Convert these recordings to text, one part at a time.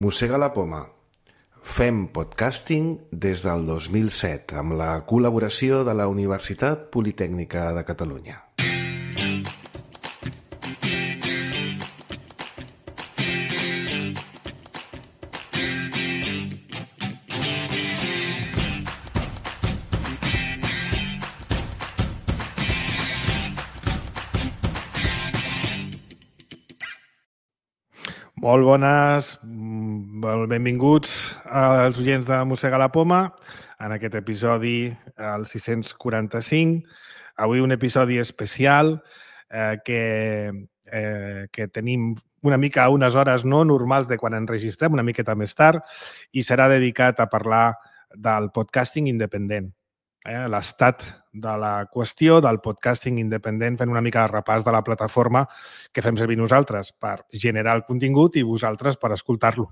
Mossega la poma. Fem podcasting des del 2007 amb la col·laboració de la Universitat Politècnica de Catalunya. Molt bones, benvinguts als oients de Mossega la Poma en aquest episodi, el 645. Avui un episodi especial que tenim una mica a unes hores no normals de quan enregistrem, una miqueta més tard, i serà dedicat a parlar del podcasting independent. L'estat de la qüestió del podcasting independent, fent una mica de repàs de la plataforma que fem servir nosaltres per generar el contingut i vosaltres per escoltar-lo.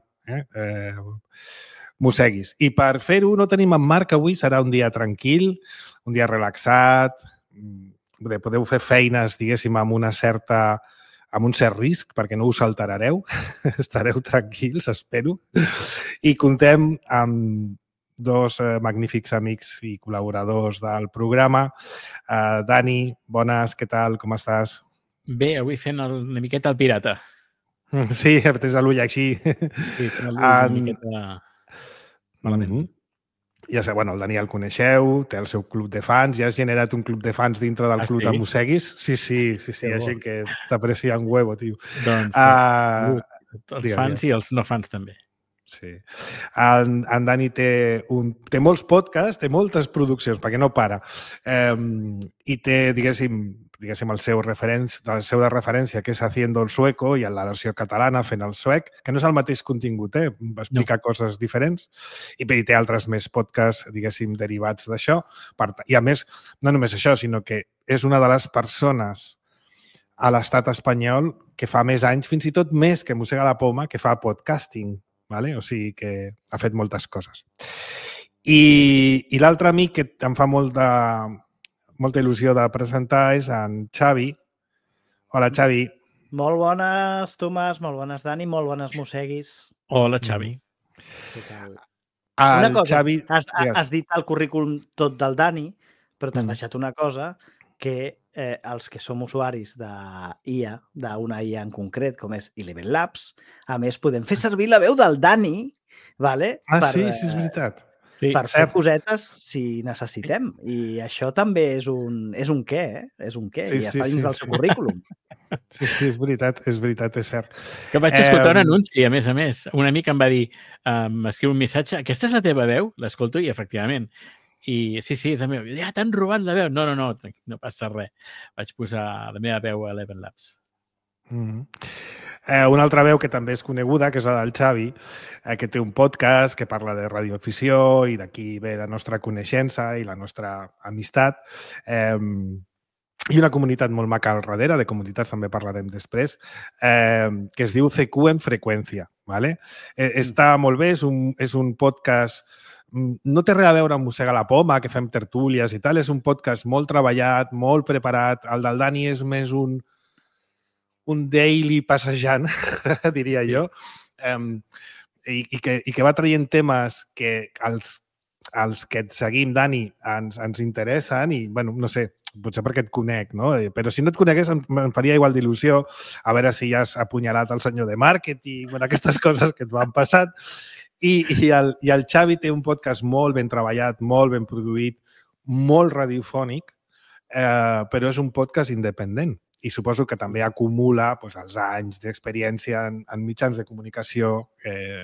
Mosseguis. I per fer-ho no tenim en Marc avui, serà un dia tranquil, un dia relaxat, podeu fer feines, diguéssim, amb un cert risc, perquè no us alterareu, estareu tranquils, espero, i contem amb dos magnífics amics i col·laboradors del programa. Dani, bones, què tal? Com estàs? Bé, avui fent una miqueta el pirata. Sí, tens l'ull així. Sí, fent l'ull una miqueta malament. Ja sé, bueno, el Dani el coneixeu, té el seu club de fans, ja has generat un club de fans dintre del club de Mosseguis. Sí, hi ha gent que t'aprecia un huevo, tio. Doncs els fans i els no fans també. Sí. En Dani té molts podcasts, té moltes produccions, perquè no para, i té, diguéssim, el seu de referència, que és Haciendo el Sueco, i en la versió catalana, fent el suec, que no és el mateix contingut, va explicar coses diferents, i té altres més podcasts, diguéssim, derivats d'això. I a més, no només això, sinó que és una de les persones a l'estat espanyol que fa més anys, fins i tot més que Mossega la Poma, que fa podcasting. Vale? O sigui que ha fet moltes coses. I l'altre amic que em fa molta il·lusió de presentar és en Xavi. Hola, Xavi. Molt bones, Tomàs, molt bones, Dani, molt bones, Mosseguis. Hola, Xavi. Una cosa, Xavi, has dit el currículum tot del Dani, però t'has deixat una cosa que els que som usuaris d'IA, d'una IA en concret, com és Eleven Labs, a més podem fer servir la veu del Dani, vale? Sí, és veritat. Per fer cosetes si necessitem. I això també és un què, És un què, i ja està dins del seu currículum. Sí, és veritat, és cert. Que vaig escoltar un anunci, a més. Un amic em va dir, m'escriu un missatge, aquesta és la teva veu? L'escolto i, efectivament, i sí, és la meva. Ja t'han robat la veu. No passa res. Vaig posar la meva veu a Eleven Labs. Una altra veu que també és coneguda, que és la del Xavi, que té un podcast que parla de radioafició, i d'aquí ve la nostra coneixença i la nostra amistat. I una comunitat molt maca al darrere, de comunitats també parlarem després, que es diu CQ en freqüència. Vale? Està molt bé, és un podcast. No té res a veure amb Mossega la Poma, que fem tertúlies i tal. És un podcast molt treballat, molt preparat. El del Dani és més un daily passejant, diria jo, i que va traient temes que els que et seguim, Dani, ens interessen i, bueno, no sé, potser perquè et conec, no? Però si no et conegués em faria igual d'il·lusió a veure si ja has apunyalat el senyor de màrqueting, bueno, aquestes coses que et van passant. I el Xavi té un podcast molt ben treballat, molt ben produït, molt radiofònic, però és un podcast independent. I suposo que també acumula els anys d'experiència en mitjans de comunicació,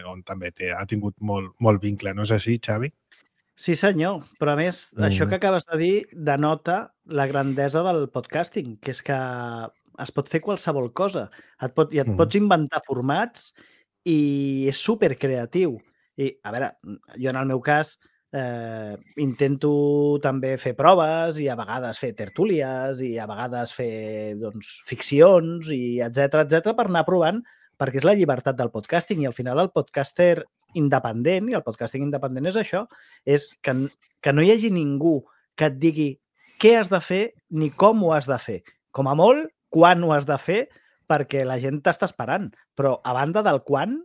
on també ha tingut molt vincle. No és així, Xavi? Sí, senyor. Però, a més, això que acabes de dir denota la grandesa del podcasting, que és que es pot fer qualsevol cosa. Et pots inventar formats i és supercreatiu. I, a veure, jo en el meu cas intento també fer proves i a vegades fer tertúlies i a vegades fer ficcions i etcètera per anar provant, perquè és la llibertat del podcasting i al final el podcaster independent, i el podcasting independent és això, és que no hi hagi ningú que et digui què has de fer ni com ho has de fer. Com a molt, quan ho has de fer, perquè la gent t'està esperant. Però a banda del quan,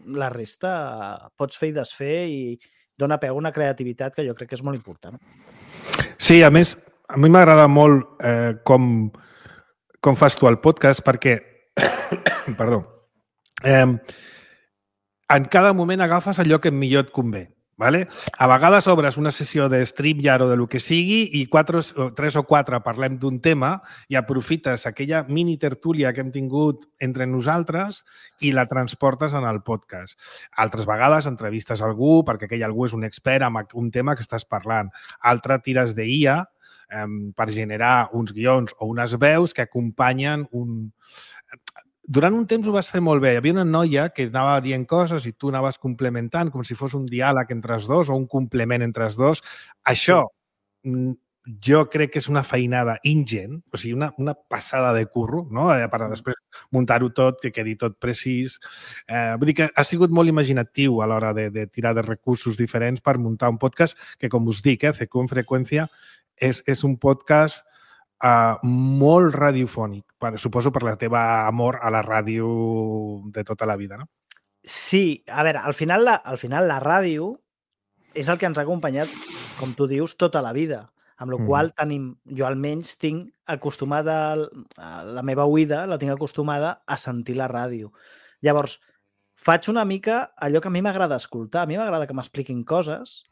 la resta pots fer i desfer i dona peu a una creativitat que jo crec que és molt important. Sí, a més, a mi m'agrada molt com fas tu el podcast perquè, perdó, en cada moment agafes allò que millor et convé. Vale? A vegades obres una sessió de StreamYard o de lo que sigui i 3 o 4 parlem d'un tema i aprofites aquella mini tertúlia que hem tingut entre nosaltres i la transportes en el podcast. Altres vegades entrevistes algú perquè aquell algú és un expert en un tema que estàs parlant. Altre tires d'IA per generar uns guions o unes veus que acompanyen un... Durant un temps ho vas fer molt bé. Hi havia una noia que anava dient coses i tu anaves complementant com si fos un diàleg entre els dos o un complement entre els dos. Això jo crec que és una feinada ingent, o sigui, una passada de curro, no? Per després muntar-ho tot, que quedi tot precís. Vull dir que ha sigut molt imaginatiu a l'hora de tirar de recursos diferents per muntar un podcast que, com us dic, CQ en freqüència és un podcast molt radiofònic, suposo per la teva amor a la ràdio de tota la vida, no? Sí, a veure, al final la ràdio és el que ens ha acompanyat, com tu dius, tota la vida, amb la qual tenim, jo almenys tinc acostumada, la meva oïda la tinc acostumada a sentir la ràdio. Llavors, faig una mica allò que a mi m'agrada escoltar. A mi m'agrada que m'expliquin coses,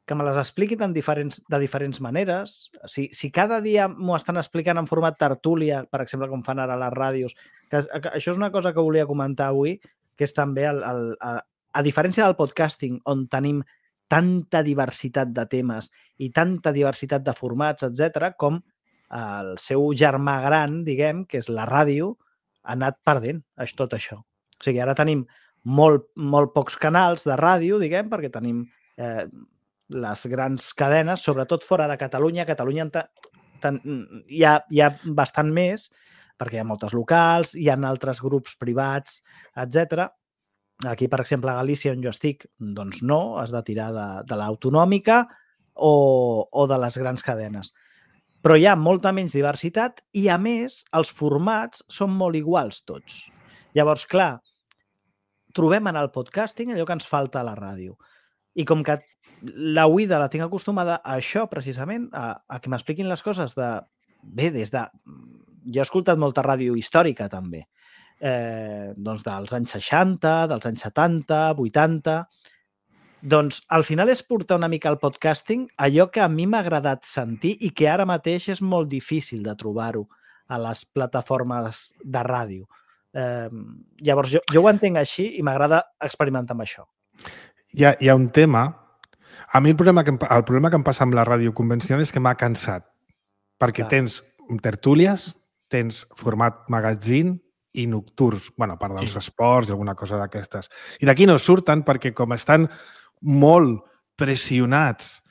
que me les expliquin de diferents maneres. Si cada dia m'ho estan explicant en format tertúlia, per exemple, com fan ara les ràdios, que això és una cosa que volia comentar avui, que és també, a diferència del podcasting, on tenim tanta diversitat de temes i tanta diversitat de formats, etc., com el seu germà gran, diguem, que és la ràdio, ha anat perdent tot això. O sigui, ara tenim molt pocs canals de ràdio, diguem, perquè tenim les grans cadenes, sobretot fora de Catalunya. A Catalunya hi ha bastant més, perquè hi ha moltes locals, hi ha altres grups privats, etc. Aquí, per exemple, a Galícia, on jo estic, doncs no, has de tirar de l'autonòmica o de les grans cadenes. Però hi ha molta menys diversitat i, a més, els formats són molt iguals tots. Llavors, clar, trobem en el podcasting allò que ens falta a la ràdio. I com que la oïda la tinc acostumada a això, precisament, a que m'expliquin les coses jo he escoltat molta ràdio històrica, també, doncs dels anys 60, dels anys 70, 80... Doncs al final és portar una mica al podcasting allò que a mi m'ha agradat sentir i que ara mateix és molt difícil de trobar-ho a les plataformes de ràdio. Llavors, jo ho entenc així i m'agrada experimentar amb això. Hi ha un tema... A mi el problema que em passa amb la ràdio convencional és que m'ha cansat. Perquè tens tertúlies, tens format magazine i nocturns, a part dels esports i alguna cosa d'aquestes. I d'aquí no surten perquè com estan molt pressionats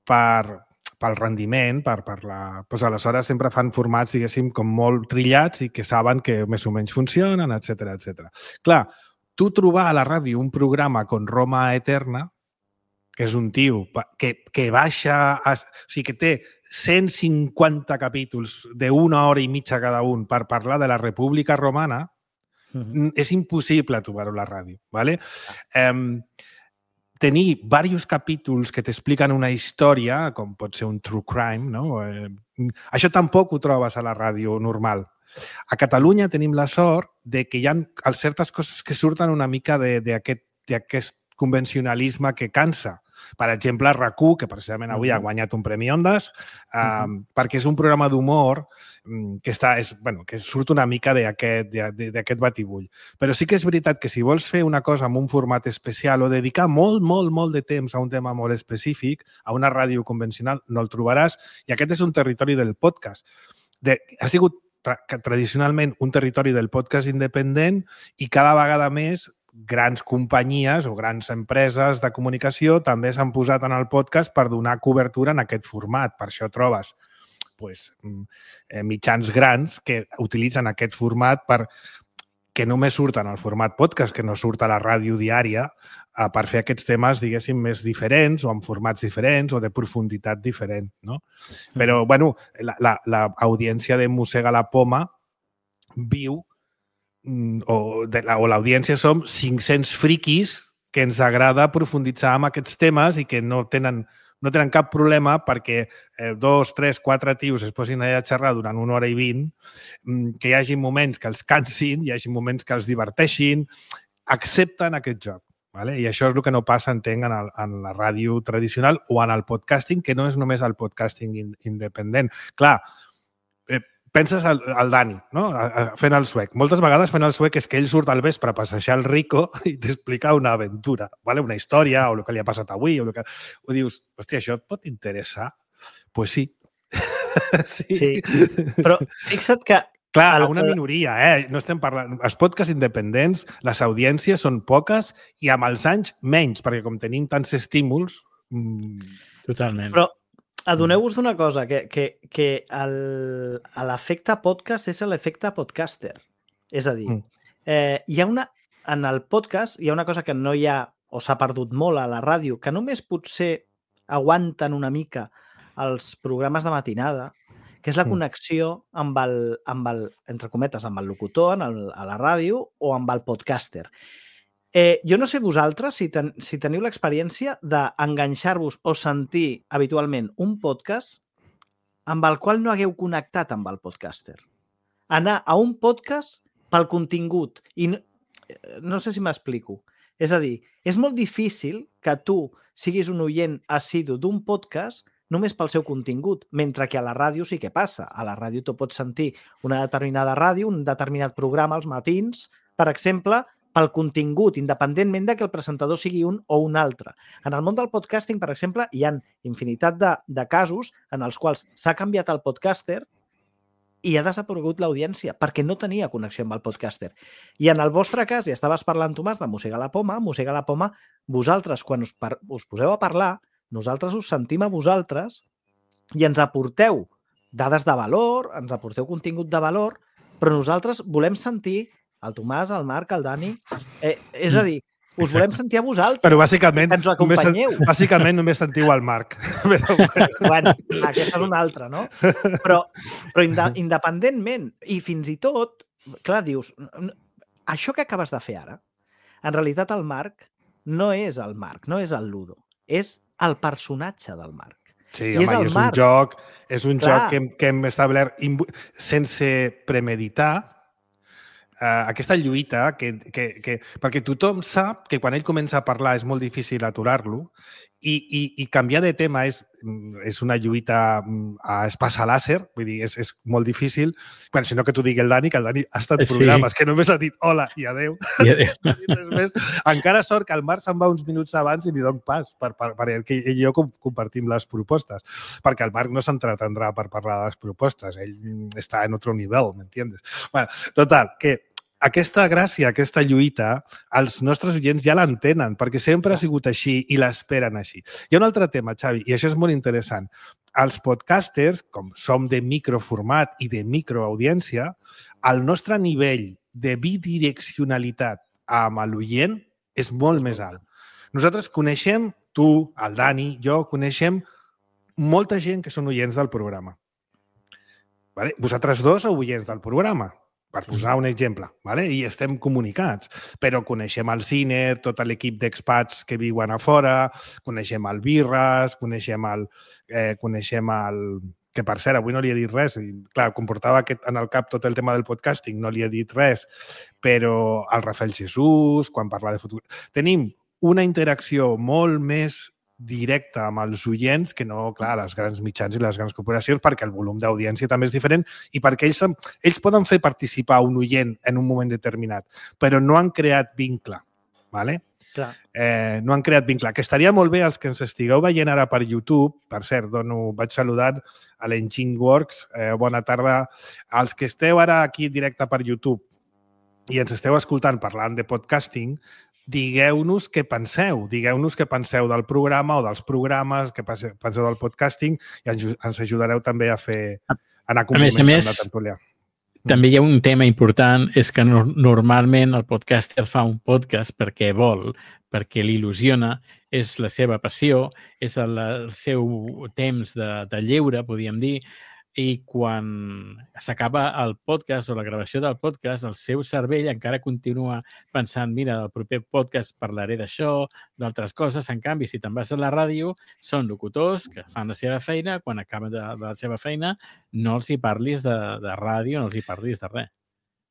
pel rendiment, doncs aleshores sempre fan formats, diguéssim, com molt trillats i que saben que més o menys funcionen, etc. Clar, tu trobar a la ràdio un programa com Roma Eterna, que és un tio que baixa... O sigui, que té 150 capítols d'1 hora i mitja cada un per parlar de la República Romana, és impossible trobar-ho a la ràdio. ¿Vale? Tenir diversos capítols que t'expliquen una història, com pot ser un true crime, no? Això tampoc ho trobes a la ràdio normal. A Catalunya tenim la sort de que hi ha certes coses que surten una mica d'aquest convencionalisme que cansa. Per exemple, RAC1, que precisament avui ha guanyat un Premi Ondas, perquè és un programa d'humor que surt una mica d'aquest batibull. Però sí que és veritat que si vols fer una cosa amb un format especial o dedicar molt de temps a un tema molt específic, a una ràdio convencional, no el trobaràs. I aquest és un territori del podcast. Ha sigut tradicionalment un territori del podcast independent i cada vegada més grans companyies o grans empreses de comunicació també s'han posat en el podcast per donar cobertura en aquest format. Per això trobes mitjans grans que utilitzen aquest format que només surten al format podcast, que no surt a la ràdio diària, per fer aquests temes, diguéssim, més diferents o amb formats diferents o de profunditat diferent. No? Però, l'audiència de Mossega la Poma viu o l'audiència som 500 friquis que ens agrada profunditzar en aquests temes i que no tenen cap problema perquè 2, 3, 4 tios es posin allà a xerrar durant 1 hora i 20, que hi hagi moments que els cansin, hi hagi moments que els diverteixin, accepten aquest joc. Vale? I això és el que no passa, entenc, en la ràdio tradicional o en el podcasting, que no és només el podcasting independent. Clar, penses al Dani, no? Fent el suec. Moltes vegades fent el suec és que ell surt al vespre a passejar el Rico i t'explica una aventura, vale? Una història o el que li ha passat avui. O dius, hòstia, això et pot interessar? Pues sí. Sí. Però fixa't que... Clar, a una minoria, no estem parlant... Els podcasts independents, les audiències són poques i amb els anys menys, perquè com tenim tants estímuls... Totalment. Però adoneu-vos d'una cosa, que l'efecte podcast és l'efecte podcaster. És a dir, hi ha en el podcast hi ha una cosa que no hi ha, o s'ha perdut molt a la ràdio, que només potser aguanten una mica els programes de matinada, que és la connexió amb el, entre cometes, amb el locutor a la ràdio o amb el podcaster. Jo no sé vosaltres si teniu l'experiència d'enganxar-vos o sentir habitualment un podcast amb el qual no hagueu connectat amb el podcaster. Anar a un podcast pel contingut. I no sé si m'explico. És a dir, és molt difícil que tu siguis un oient assidu d'un podcast només pel seu contingut, mentre que a la ràdio sí que passa. A la ràdio tu pots sentir una determinada ràdio, un determinat programa als matins, per exemple, pel contingut, independentment de que el presentador sigui un o un altre. En el món del podcasting, per exemple, hi ha infinitat de casos en els quals s'ha canviat el podcaster i ha desaparegut l'audiència perquè no tenia connexió amb el podcaster. I en el vostre cas, i estaves parlant, Tomàs, de Mossegar la Poma, vosaltres, quan us poseu a parlar, nosaltres us sentim a vosaltres i ens aporteu dades de valor, ens aporteu contingut de valor, però nosaltres volem sentir el Tomàs, el Marc, el Dani... és a dir, us volem sentir a vosaltres. Però bàsicament, ens acompanyeu. Bàsicament només sentiu el Marc. Bueno, aquesta és una altra, no? Però independentment, i fins i tot, clar, dius, això que acabes de fer ara, en realitat el Marc no és el Marc, no és el Ludo, és el personatge del Marc. Sí, home, és un joc que hem establert sense premeditar, aquesta lluita perquè tothom sap que quan ell comença a parlar és molt difícil aturar-lo i canviar de tema és una lluita a espasa làser, vull dir, és molt difícil. Bueno, si no que t'ho digui el Dani, que el Dani ha estat programes que només ha dit hola i adeu. Encara sort que el Marc se'n va uns minuts abans i li dono pas perquè ell i jo compartim les propostes, perquè el Marc no s'entretendrà per parlar de les propostes, ell està en otro nivell, m'entiendes? Bueno, total, que aquesta gràcia, aquesta lluita, els nostres oients ja l'entenen, perquè sempre ha sigut així i l'esperen així. Hi ha un altre tema, Xavi, i això és molt interessant. Els podcasters, com som de microformat i de microaudiència, el nostre nivell de bidireccionalitat amb l'oient és molt més alt. Nosaltres coneixem, tu, el Dani, jo, coneixem molta gent que són oients del programa. Vosaltres dos sou oients del programa, per posar un exemple, i estem comunicats, però coneixem el Ciner, tot l'equip d'expats que viuen a fora, coneixem el Birras, coneixem el... Que, per cert, avui no li he dit res. Clar, comportava en el cap tot el tema del podcasting, no li he dit res, però el Rafael Jesús, quan parla de futur... Tenim una interacció molt més directa amb els oients que no, clar, les grans mitjans i les grans corporacions, perquè el volum d'audiència també és diferent i perquè ells poden fer participar un oient en un moment determinat, però no han creat vincle, ¿vale? Clar. No han creat vincle. Que estaria molt bé els que ens estigueu veient ara per YouTube, per cert, vaig saludant a l'Engine Works, bona tarda. Els que esteu ara aquí directe per YouTube i ens esteu escoltant parlant de podcasting, digueu-nos què penseu. Digueu-nos què penseu del programa o dels programes, què penseu del podcasting i ens ajudareu també a anar complementant la tertúlia. També hi ha un tema important, és que normalment el podcaster fa un podcast perquè vol, perquè l'il·lusiona, és la seva passió, és el seu temps de lleure, podríem dir, i quan s'acaba el podcast o la gravació del podcast, el seu cervell encara continua pensant, mira, del proper podcast parlaré d'això, d'altres coses. En canvi, si te'n vas a la ràdio, són locutors que fan la seva feina, quan acaben de la seva feina no els hi parlis de ràdio, no els hi parlis de res.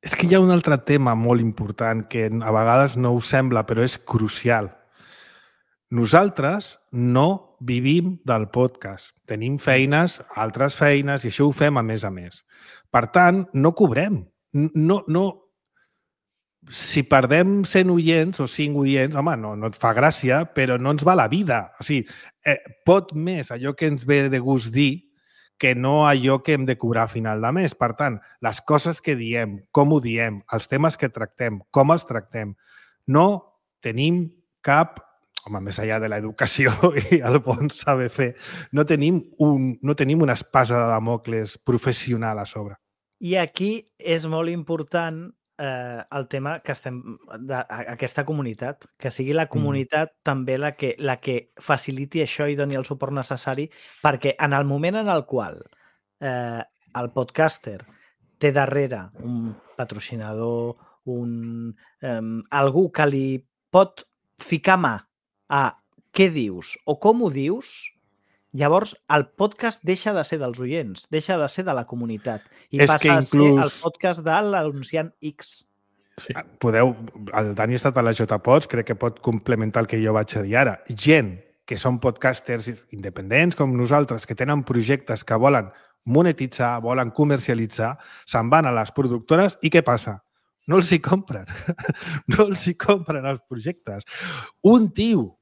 És que hi ha un altre tema molt important que a vegades no us sembla, però és crucial. Nosaltres no vivim del podcast. Tenim feines, altres feines, i això ho fem a més. Per tant, no cobrem. No. Si perdem 100 oients o 5 oients, home, no et fa gràcia, però no ens va la vida. O sigui, pot més allò que ens ve de gust dir que no allò que hem de cobrar a final de mes. Per tant, les coses que diem, com ho diem, els temes que tractem, com els tractem, no tenim cap, home, més enllà de l'educació i el bon saber fer, no tenim una espasa de Damocles professional a sobre. I aquí és molt important el tema que estem d'aquesta comunitat, que sigui la comunitat també la que faciliti això i doni el suport necessari, perquè en el moment en el qual el podcaster té darrere un patrocinador, algú que li pot ficar mà a què dius o com ho dius, llavors el podcast deixa de ser dels oients, deixa de ser de la comunitat i passa a ser el podcast de l'anunciant X. Sí. El Dani ha estat a la JPods, crec que pot complementar el que jo vaig a dir ara. Gent que són podcasters independents com nosaltres, que tenen projectes que volen monetitzar, volen comercialitzar, se'n van a les productores i què passa? No els hi compren. No els hi compren els projectes. Un tio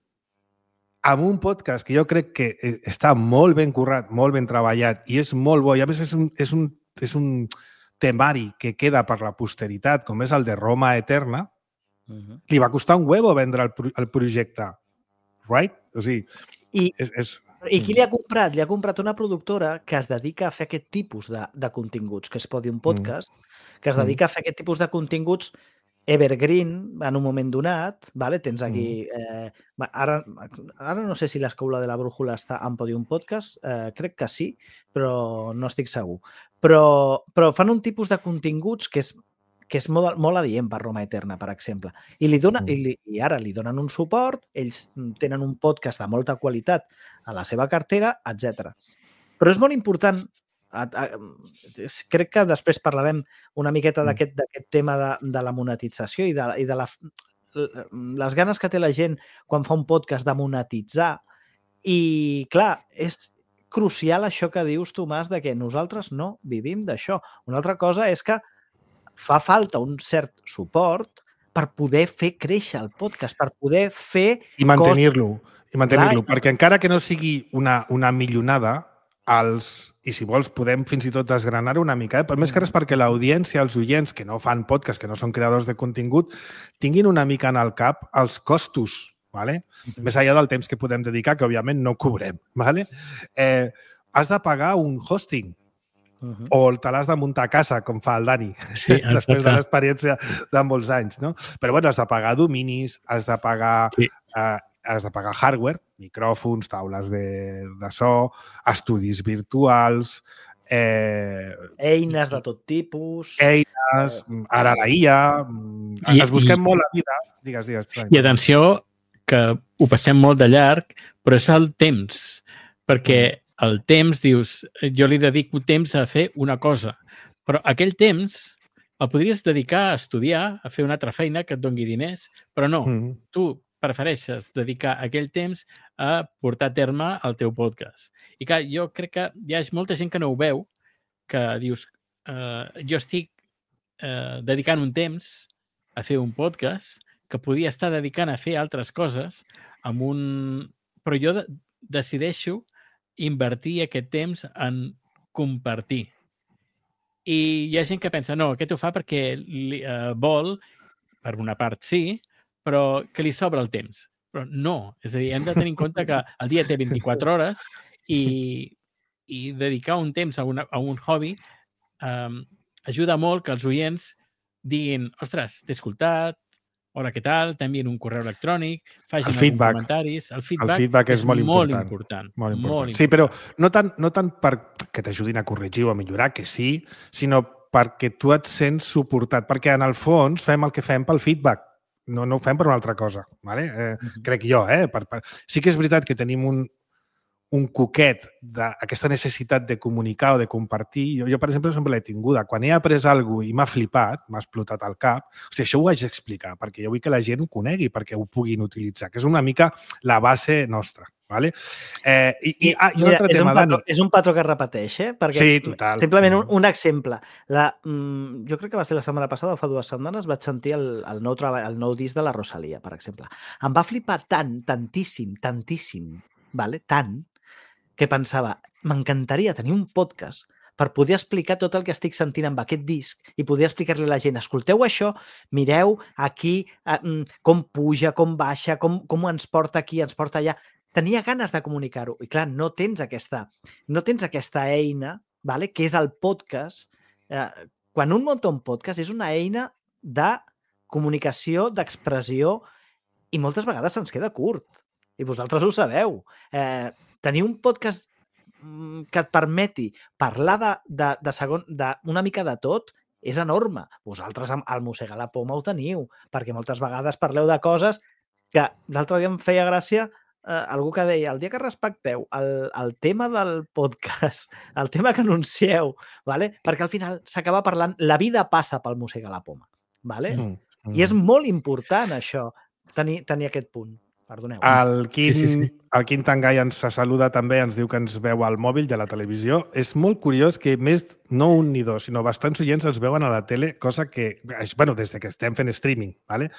amb un podcast que jo crec que està molt ben currat, molt ben treballat i és molt bo, i a més és un temari que queda per la posteritat, com és el de Roma Eterna, li va costar un huevo vendre el projecte. Right? O sigui, I qui li ha comprat? Li ha comprat una productora que es dedica a fer aquest tipus de continguts, que és Podium Podcast, que es dedica a fer aquest tipus de continguts evergreen en un moment donat, vale? Tens aquí... Ara no sé si l'Escola de la Brújula està en Podium Podcast, crec que sí, però no estic segur. Però fan un tipus de continguts que és molt adient per Roma Eterna, per exemple. I ara li donen un suport, ells tenen un podcast de molta qualitat a la seva cartera, etc. Però és molt important, crec que després parlarem una miqueta d'aquest tema de la monetització i de les ganes que té la gent quan fa un podcast de monetitzar. I, clar, és crucial això que dius, Tomàs, de que nosaltres no vivim d'això. Una altra cosa és que fa falta un cert suport per poder fer créixer el podcast, per poder fer... I mantenir-lo, perquè encara que no sigui una millonada, i si vols podem fins i tot desgranar-ho una mica, per més que res perquè l'audiència, els oients que no fan podcast, que no són creadors de contingut, tinguin una mica en el cap els costos, ¿vale? Més enllà del temps que podem dedicar, que òbviament no cobrem. ¿Vale? Has de pagar un hosting, o te l'has de muntar a casa, com fa el Dani, després de l'experiència de molts anys, no? Però bueno, has de pagar dominis, has de pagar hardware, micròfons, taules de so, estudis virtuals... eines de tot tipus... Eines, ara la IA... Ens busquem molt la vida. Digues. I atenció, que ho passem molt de llarg, però és el temps. Perquè el temps, dius, jo li dedico temps a fer una cosa, però aquell temps el podries dedicar a estudiar, a fer una altra feina que et doni diners, però no, tu prefereixes dedicar aquell temps a portar a terme el teu podcast. I clar, jo crec que hi ha molta gent que no ho veu, que dius, jo estic dedicant un temps a fer un podcast que podia estar dedicant a fer altres coses, però jo decideixo invertir aquest temps en compartir. I hi ha gent que pensa, no, aquest ho fa perquè vol, per una part sí, però que li sobra el temps. Però no, és a dir, hem de tenir en compte que el dia té 24 hores i dedicar un temps a un hobby ajuda molt que els oients diguin, ostres, t'he escoltat, hola, què tal, t'envien un correu electrònic, facin alguns comentaris. El feedback és molt important. Sí, però no tant per que t'ajudin a corregir o a millorar, que sí, sinó perquè tu et sents suportat, perquè en el fons fem el que fem pel feedback, no ho fem per una altra cosa, ¿vale? Crec jo, Sí que és veritat que tenim un coquet d'aquesta necessitat de comunicar o de compartir. Jo, per exemple, sempre l'he tinguda. Quan he après alguna cosa i m'ha flipat, m'ha explotat al cap, això ho haig d'explicar, perquè jo vull que la gent ho conegui, perquè ho puguin utilitzar, que és una mica la base nostra. ¿Vale? I un altre tema, Dani. És un patró que es repeteix, perquè sí, total. Simplement un exemple. Jo crec que va ser la setmana passada o fa 2 setmanes vaig sentir el nou disc de la Rosalía, per exemple. Em va flipar tantíssim, vale? Tant, que pensava, m'encantaria tenir un podcast per poder explicar tot el que estic sentint amb aquest disc i poder explicar-li a la gent, escolteu això, mireu aquí com puja, com baixa, com ens porta aquí, ens porta allà. Tenia ganes de comunicar-ho. I clar, no tens aquesta eina, vale? Que és el podcast. Quan un munta un podcast és una eina de comunicació, d'expressió, i moltes vegades se'ns queda curt. I vosaltres ho sabeu. Tenir un podcast que et permeti parlar d'una mica de tot és enorme. Vosaltres al Mossegar la Poma ho teniu, perquè moltes vegades parleu de coses que l'altre dia em feia gràcia algú que deia, el dia que respecteu el tema del podcast, el tema que anuncieu, ¿vale? Perquè al final s'acaba parlant, la vida passa pel Mossegar la Poma, ¿vale? I és molt important això, tenir aquest punt. Perdoneu. El Quim Tangay ens saluda també, ens diu que ens veu al mòbil i a la televisió. És molt curiós que més, no un ni dos, sinó bastants oients els veuen a la tele, cosa que, bueno, des que estem fent streaming, ¿vale?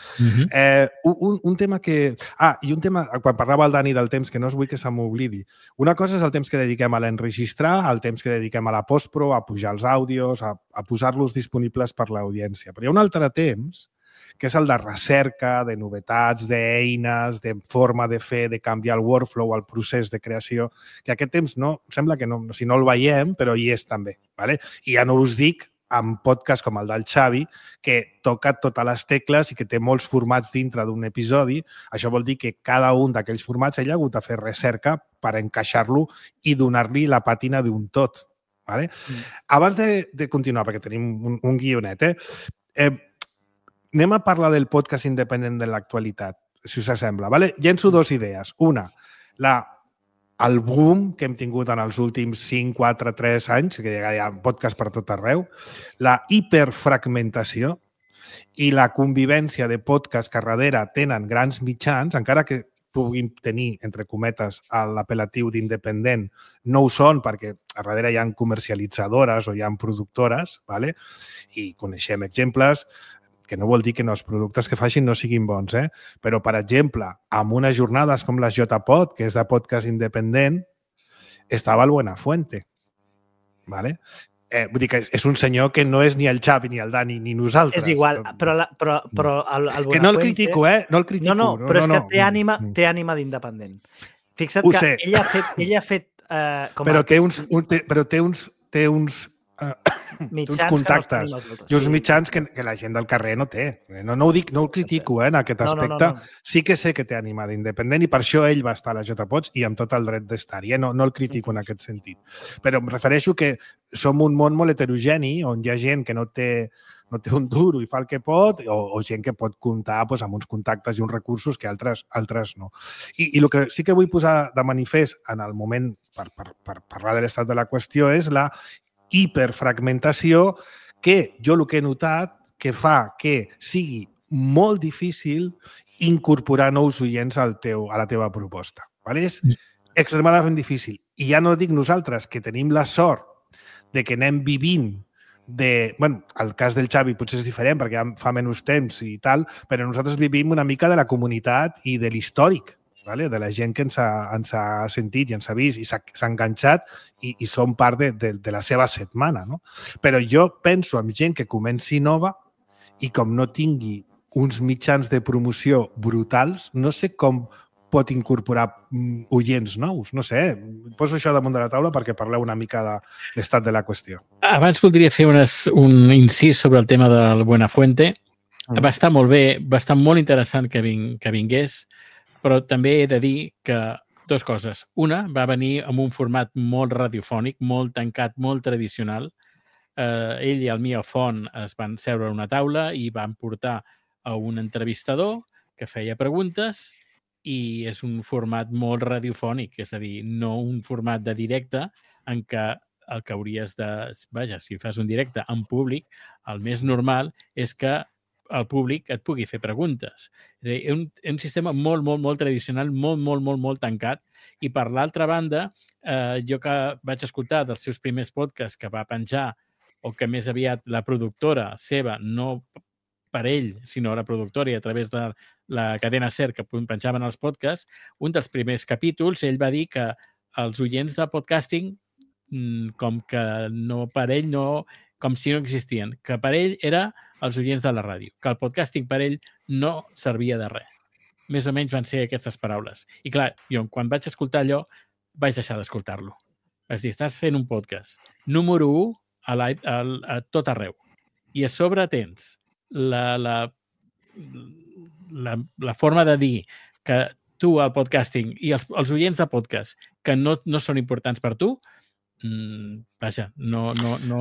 Un tema que... i un tema, quan parlava el Dani del temps, que no us vull que se m'oblidi. Una cosa és el temps que dediquem a l'enregistrar, el temps que dediquem a la postpro, a pujar els àudios, a posar-los disponibles per l'audiència. Però hi ha un altre temps que és el de recerca, de novetats, d'eines, de forma de fer, de canviar el workflow, el procés de creació, que aquest temps sembla que no, si no el veiem, però hi és també. ¿Vale? I ja no us dic amb podcast com el del Xavi, que toca totes les tecles i que té molts formats dintre d'un episodi. Això vol dir que cada un d'aquells formats ell ha hagut de fer recerca per encaixar-lo i donar-li la pàtina d'un tot. ¿Vale? Abans de continuar, perquè tenim un guionet, anem a parlar del podcast independent de l'actualitat, si us sembla. ¿Vale? Llenço 2 idees. Una, el boom que hem tingut en els últims 5, 4, 3 anys, que hi ha podcast per tot arreu, la hiperfragmentació i la convivència de podcasts que darrere tenen grans mitjans, encara que puguin tenir, entre cometes, l'apel·latiu d'independent, no ho són perquè a darrere hi ha comercialitzadores o hi ha productores, ¿vale? I coneixem exemples, que no vol dir que els productes que facin no siguin bons, però, per exemple, amb unes jornades com les JPod, que és de podcast independent, estava el Buenafuente. ¿Vale? Vull dir que és un senyor que no és ni el Xavi, ni el Dani, ni nosaltres. És igual, però el Buenafuente... Que no el critico, No el critico. No, però és que té ànima d'independent. Fixa't que ell ha fet... Però té uns contactes i uns mitjans que la gent del carrer no té. No ho dic, no el critico en aquest aspecte. Sí que sé que té ànima d'independent i per això ell va estar a la JPods i amb tot el dret d'estar-hi. No el critico en aquest sentit. Però em refereixo que som un món molt heterogeni on hi ha gent que no té un duro i fa el que pot o gent que pot comptar amb uns contactes i uns recursos que altres no. I el que sí que vull posar de manifest en el moment per parlar de l'estat de la qüestió és la hiperfragmentació que jo el que he notat que fa que sigui molt difícil incorporar nous oients a la teva proposta. ¿Vale? És extremadament difícil. I ja no dic nosaltres, que tenim la sort de que anem vivint bueno, el cas del Xavi potser és diferent perquè fa menys temps i tal, però nosaltres vivim una mica de la comunitat i de l'històric, ¿vale? De la gent que ens ha sentit i ens ha vist i s'ha enganxat i som part de la seva setmana, no? Però jo penso en gent que comenci nova i com no tingui uns mitjans de promoció brutals, no sé com pot incorporar oients nous. No sé, poso això damunt de la taula perquè parleu una mica de l'estat de la qüestió. Abans voldria fer un incís sobre el tema del Buenafuente. Va estar molt bé, va estar molt interessant que vingués, però també he de dir que dues coses. Una, va venir amb un format molt radiofònic, molt tancat, molt tradicional. Ell i el Mia Font es van seure a una taula i van portar a un entrevistador que feia preguntes i és un format molt radiofònic, és a dir, no un format de directe en què el que hauries de... Vaja, si fas un directe en públic, el més normal és que el públic et pugui fer preguntes. És a dir, un sistema molt, molt, molt tradicional, molt, molt, molt, molt tancat. I per l'altra banda, jo que vaig escoltar dels seus primers podcasts que va penjar o que més aviat la productora seva, no per ell, sinó la productora i a través de la cadena SER que penjaven els podcasts, un dels primers capítols, ell va dir que els oients de podcasting, com que no per ell, no, com si no existien, que per ell era els oients de la ràdio, que el podcasting per ell no servia de res. Més o menys van ser aquestes paraules. I clar, jo quan vaig escoltar allò, vaig deixar d'escoltar-lo. Vaig dir, estàs fent un podcast número 1 a tot arreu. I a sobre tens la forma de dir que tu, el podcasting, i els oients de podcast que no són importants per tu, vaja, no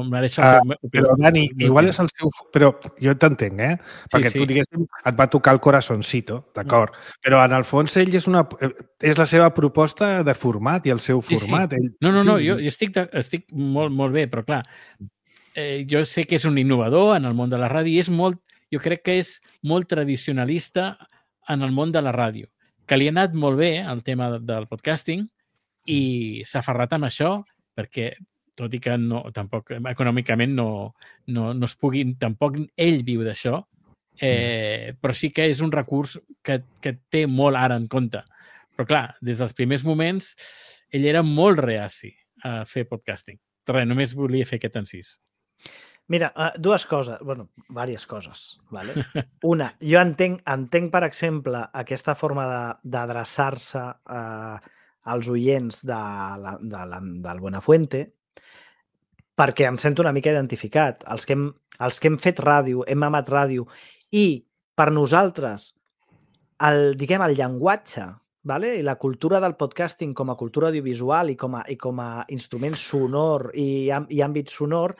mereix... Però, Dani, igual és el seu... Però jo t'entenc, Perquè tu, diguéssim, et va tocar el corazoncito, d'acord? Però, en el fons, ell és la seva proposta de format i el seu format. Sí. No, jo estic molt, molt bé, però, clar, jo sé que és un innovador en el món de la ràdio i és molt... Jo crec que és molt tradicionalista en el món de la ràdio, que li ha anat molt bé el tema del podcasting i s'ha aferrat amb això perquè, tot i que tampoc econòmicament no es pugui, tampoc ell viu d'això, però sí que és un recurs que té molt ara en compte. Però clar, des dels primers moments ell era molt reaci a fer podcasting. Res, només volia fer aquest encís. Mira, dues coses, bueno, diverses coses, ¿vale? Una, jo entenc, per exemple, aquesta forma d'adreçar-se als oients del Buenafuente, perquè em sento una mica identificat. Els que hem fet ràdio, hem amat ràdio, i per nosaltres, el llenguatge, ¿vale? I la cultura del podcasting com a cultura audiovisual i com a instrument sonor i àmbit sonor,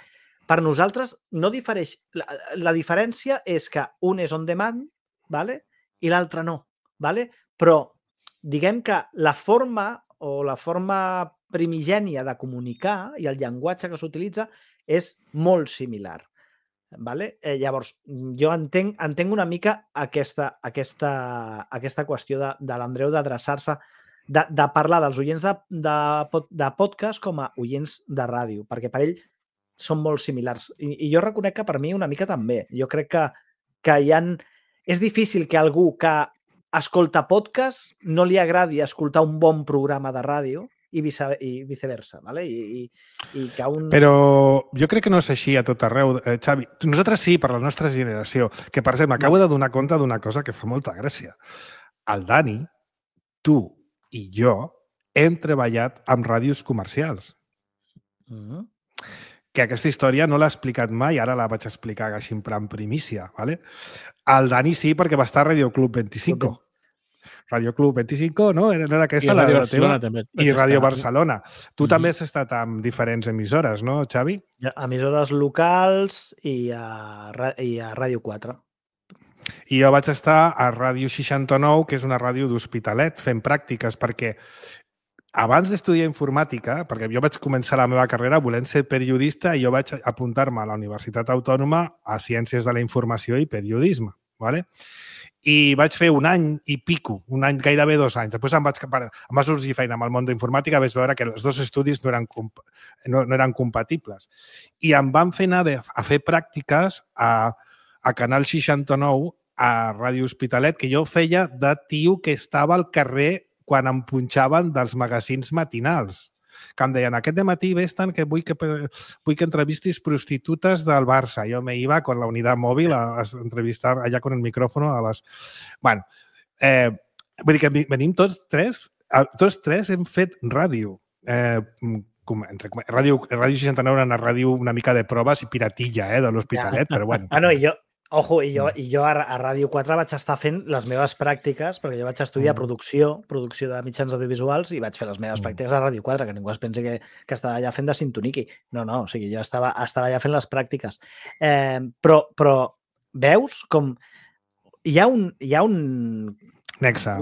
per nosaltres no difereix. La diferència és que un és on demand, ¿vale? I l'altre no. ¿Vale? Però diguem que la forma primigènia de comunicar i el llenguatge que s'utilitza és molt similar. ¿Vale? Llavors, jo entenc una mica aquesta qüestió de l'Andreu d'adreçar-se, de parlar dels oients de podcast com a oients de ràdio, perquè per ell són molt similars. I jo reconec que per mi una mica també. Jo crec que és difícil que algú que escolta podcast no li agradi escoltar un bon programa de ràdio i viceversa. ¿Vale? Però jo crec que no és així a tot arreu, Xavi. Nosaltres sí, per la nostra generació, que per exemple m'acabo de donar compte d'una cosa que fa molta gràcia. El Dani, tu i jo hem treballat amb ràdios comercials. Que aquesta història no l'ha explicat mai, ara la vaig explicar així en primícia. ¿Vale? El Dani sí, perquè va estar a Radio Club 25. Radio Club 25, no? Era aquesta la teva? I Radio Barcelona. Tu també has estat amb diferents emissores, no, Xavi? Emissores locals i a Ràdio 4. I jo vaig estar a Ràdio 69, que és una ràdio d'Hospitalet, fent pràctiques, perquè abans d'estudiar informàtica, perquè jo vaig començar la meva carrera volent ser periodista i jo vaig apuntar-me a la Universitat Autònoma a Ciències de la Informació i Periodisme. ¿Vale? I vaig fer un any i pico, gairebé 2 anys. Després em va sorgir feina amb el món d'informàtica, vaig veure que els dos estudis no eren compatibles. I em van fer anar a fer pràctiques a Canal 69, a Ràdio Hospitalet, que jo feia de tio que estava al carrer quan em punxaven dels magazins matinals. Que em deien, aquest dematí vés-te'n que vull que entrevistis prostitutes del Barça. Jo me iba con la unidad móvil a entrevistar allà con el micrófono a les... Bueno, vull dir que venim tots tres hem fet ràdio. Ràdio 69 era una ràdio una mica de proves i piratilla de l'Hospitalet, però bueno. No, Ojo, i jo a Ràdio 4 vaig estar fent les meves pràctiques, perquè jo vaig estudiar producció de mitjans audiovisuals i vaig fer les meves pràctiques a Ràdio 4, que ningú es pensi que estava allà fent de sintoniqui. No, o sigui, jo estava allà fent les pràctiques. Però veus com hi ha un nexe,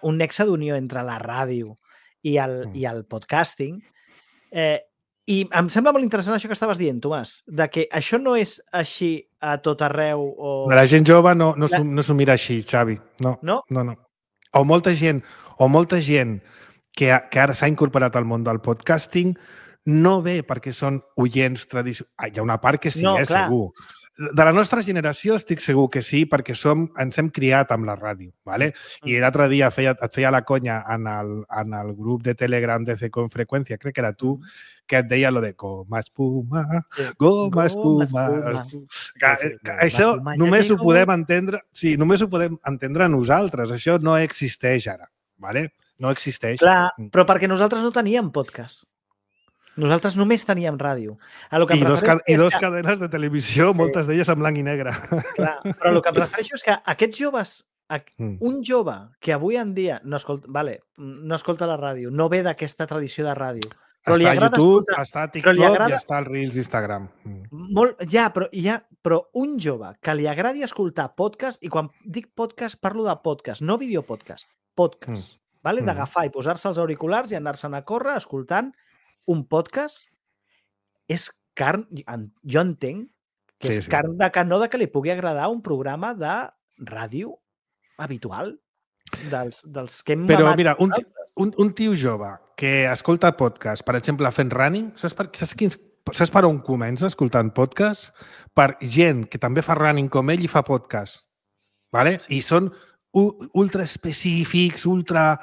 un nexe d'unió entre la ràdio i el podcasting. I em sembla molt interessant això que estaves dient, Tomàs, de que això no és així a tot arreu o... La gent jove no s'ho mira així, Xavi. No. O molta gent que ara s'ha incorporat al món del podcasting no ve perquè són oients tradicionals. Hi ha una part que sí, segur. De la nostra generació estic segur que sí, perquè ens hem criat amb la ràdio, ¿vale? I l'altre dia et feia la conya en el grup de Telegram de C con Frecuencia, crec que era tu, que et deia lo de goma espuma, goma espuma. Això només ho podem entendre, només ho podem entendre nosaltres. Això no existeix ara, ¿vale? No existeix. Clar, però perquè nosaltres no teníem podcast. Nosaltres només teníem ràdio. I dos cadenes de televisió, moltes d'elles en blanc i negre. Clar, però el que em refereixo és que aquests joves, un jove que avui en dia no escolta la ràdio, no ve d'aquesta tradició de ràdio, però està a YouTube, està a TikTok i està al Reels d'Instagram. Però un jove que li agradi escoltar podcast, i quan dic podcast parlo de podcast, no videopodcast, podcast, d'agafar i posar-se els auriculars i anar-se'n a córrer escoltant un podcast, és carn... Jo entenc que és carn de canó de que li pugui agradar un programa de ràdio habitual dels que hem mamat. Però mira, un tio jove que escolta podcast, per exemple, fent running, saps per on comença escoltant podcast? Per gent que també fa running com ell i fa podcast. ¿Vale? I són ultra específics, ultra...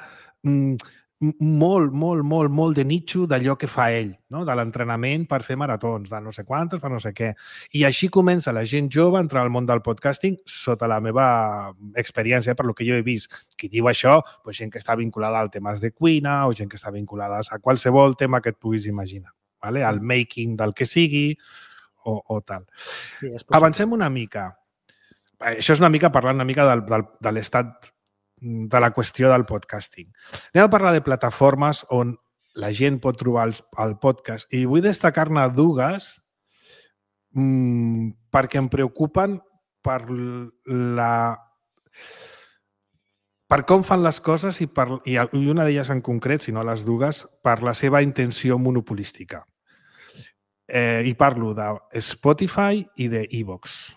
molt de nicho d'allò que fa ell, no? De l'entrenament per fer maratons, de no sé quantes, per no sé què. I així comença la gent jove a entrar al món del podcasting sota la meva experiència, per lo que jo he vist. Qui diu això, doncs gent que està vinculada a temes de cuina o gent que està vinculada a qualsevol tema que et puguis imaginar, ¿vale? Al making del que sigui o tal. Sí, avancem una mica. Això és una mica parlant una mica de l'estat de la qüestió del podcasting. Anem a parlar de plataformes on la gent pot trobar el podcast i vull destacar-ne dues perquè em preocupen per com fan les coses i una d'elles en concret, si no les dues, per la seva intenció monopolística. I parlo de Spotify i de iVoox.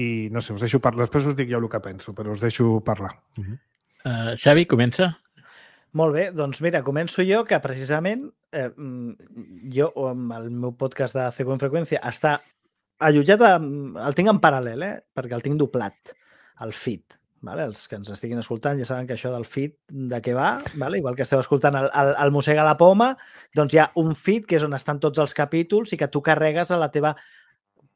I no sé, us deixo parlar. Després us dic jo el que penso, però us deixo parlar. Xavi, comença. Molt bé, doncs mira, començo jo, que precisament jo, amb el meu podcast de C con Frecuencia, està allotjat, el tinc en paral·lel, perquè el tinc doblat, el feed. Vale? Els que ens estiguin escoltant ja saben que això del feed de què va, vale? Igual que esteu escoltant el Mossega la Poma, doncs hi ha un feed que és on estan tots els capítols i que tu carregues a la teva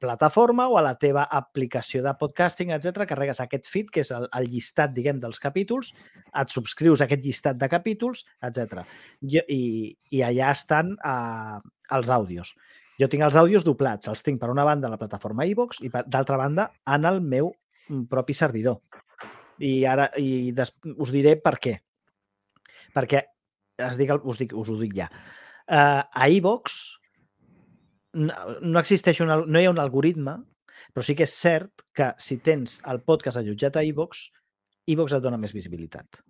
plataforma o a la teva aplicació de podcasting, etc. Carregues aquest feed, que és el llistat, diguem, dels capítols, et subscrius a aquest llistat de capítols, etc. I allà estan els àudios. Jo tinc els àudios doblats, els tinc per una banda a la plataforma iVoox i d'altra banda en el meu propi servidor. I ara us diré per què. Perquè us ho dic ja. A iVoox no hi ha un algoritme, però sí que és cert que si tens el podcast allotjat a iVoox, iVoox et dona més visibilitat.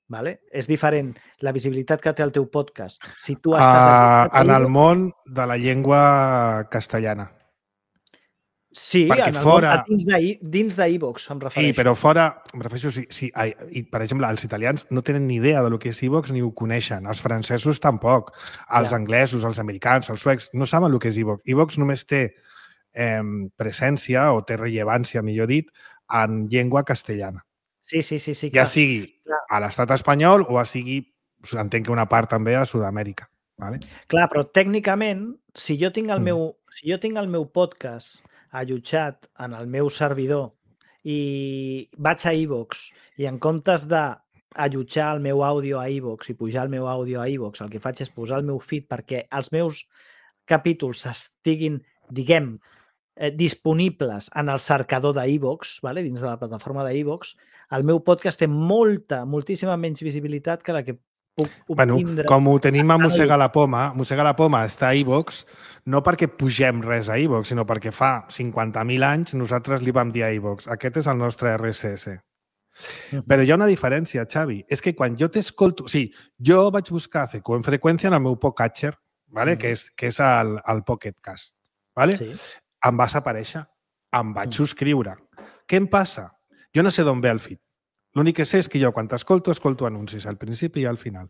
Vale? És diferent la visibilitat que té el teu podcast si tu estàs allotjat en el món de la llengua castellana. Sí, dins d'iVoox, em refereixo. Sí, però fora, em refereixo, per exemple, els italians no tenen ni idea del que és iVoox ni ho coneixen. Els francesos tampoc. Els anglesos, els americans, els suecs, no saben el que és iVoox. iVoox només té presència o té rellevància, millor dit, en llengua castellana. Sí. Ja sigui a l'estat espanyol o sigui, entenc que una part també a Sud-amèrica. Vale? Clar, però tècnicament, si jo tinc el meu podcast allotjat en el meu servidor i vaig a iVoox i en comptes d'allotjar el meu àudio a iVoox i pujar el meu àudio a iVoox, el que faig és posar el meu feed perquè els meus capítols estiguin, diguem, disponibles en el cercador d'iVoox, vale? Dins de la plataforma d'iVoox, el meu podcast té moltíssima menys visibilitat que la que puc obtindre. Com ho tenim a Mossega la Poma està a iVoox, no perquè pugem res a iVoox, sinó perquè fa 50.000 anys nosaltres li vam dir a iVoox. Aquest és el nostre RSS. Però hi ha una diferència, Xavi. És que quan jo t'escolto... O sigui, jo vaig buscar CQ en freqüència en el meu podcatcher, vale? que és el Pocket Cast. Vale? Sí. Em vas aparèixer, em vaig subscriure. Què em passa? Jo no sé d'on ve el feed. L'únic que sé és que jo, quan t'escolto, escolto anuncis al principi i al final.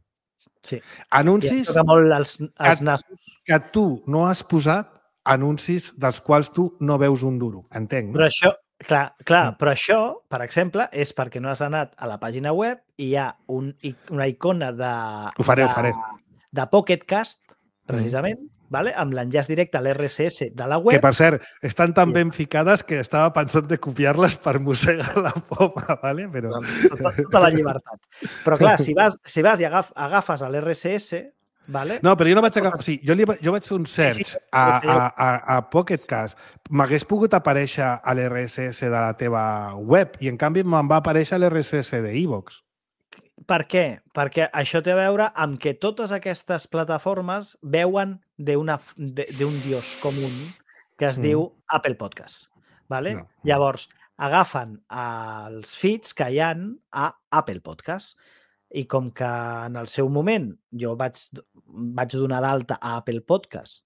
Sí. Anuncis I molt els nassos. que tu no has posat anuncis dels quals tu no veus un duro. Entenc, no? Però això, clar, però això, per exemple, és perquè no has anat a la pàgina web i hi ha una icona Ho faré. de Pocket Cast, precisament, vale? Amb l'enllaç directe a l'RSS de la web. Que, per cert, estan tan ben ficades que estava pensant de copiar-les per mossegar la poma, ¿vale? Però... Tota la llibertat. Però, clar, si vas i agafes l'RSS, vale? No, però jo no vaig agafar... O sigui, jo vaig fer un search a Pocket Cast. M'hagués pogut aparèixer a l'RSS de la teva web i, en canvi, me'n va aparèixer a l'RSS d'iVoox. Per què? Perquè això té a veure amb que totes aquestes plataformes veuen d'un dios comú que es diu Apple Podcast. Vale? No. Llavors, agafen els feeds que hi ha a Apple Podcast i com que en el seu moment jo vaig donar d'alta a Apple Podcast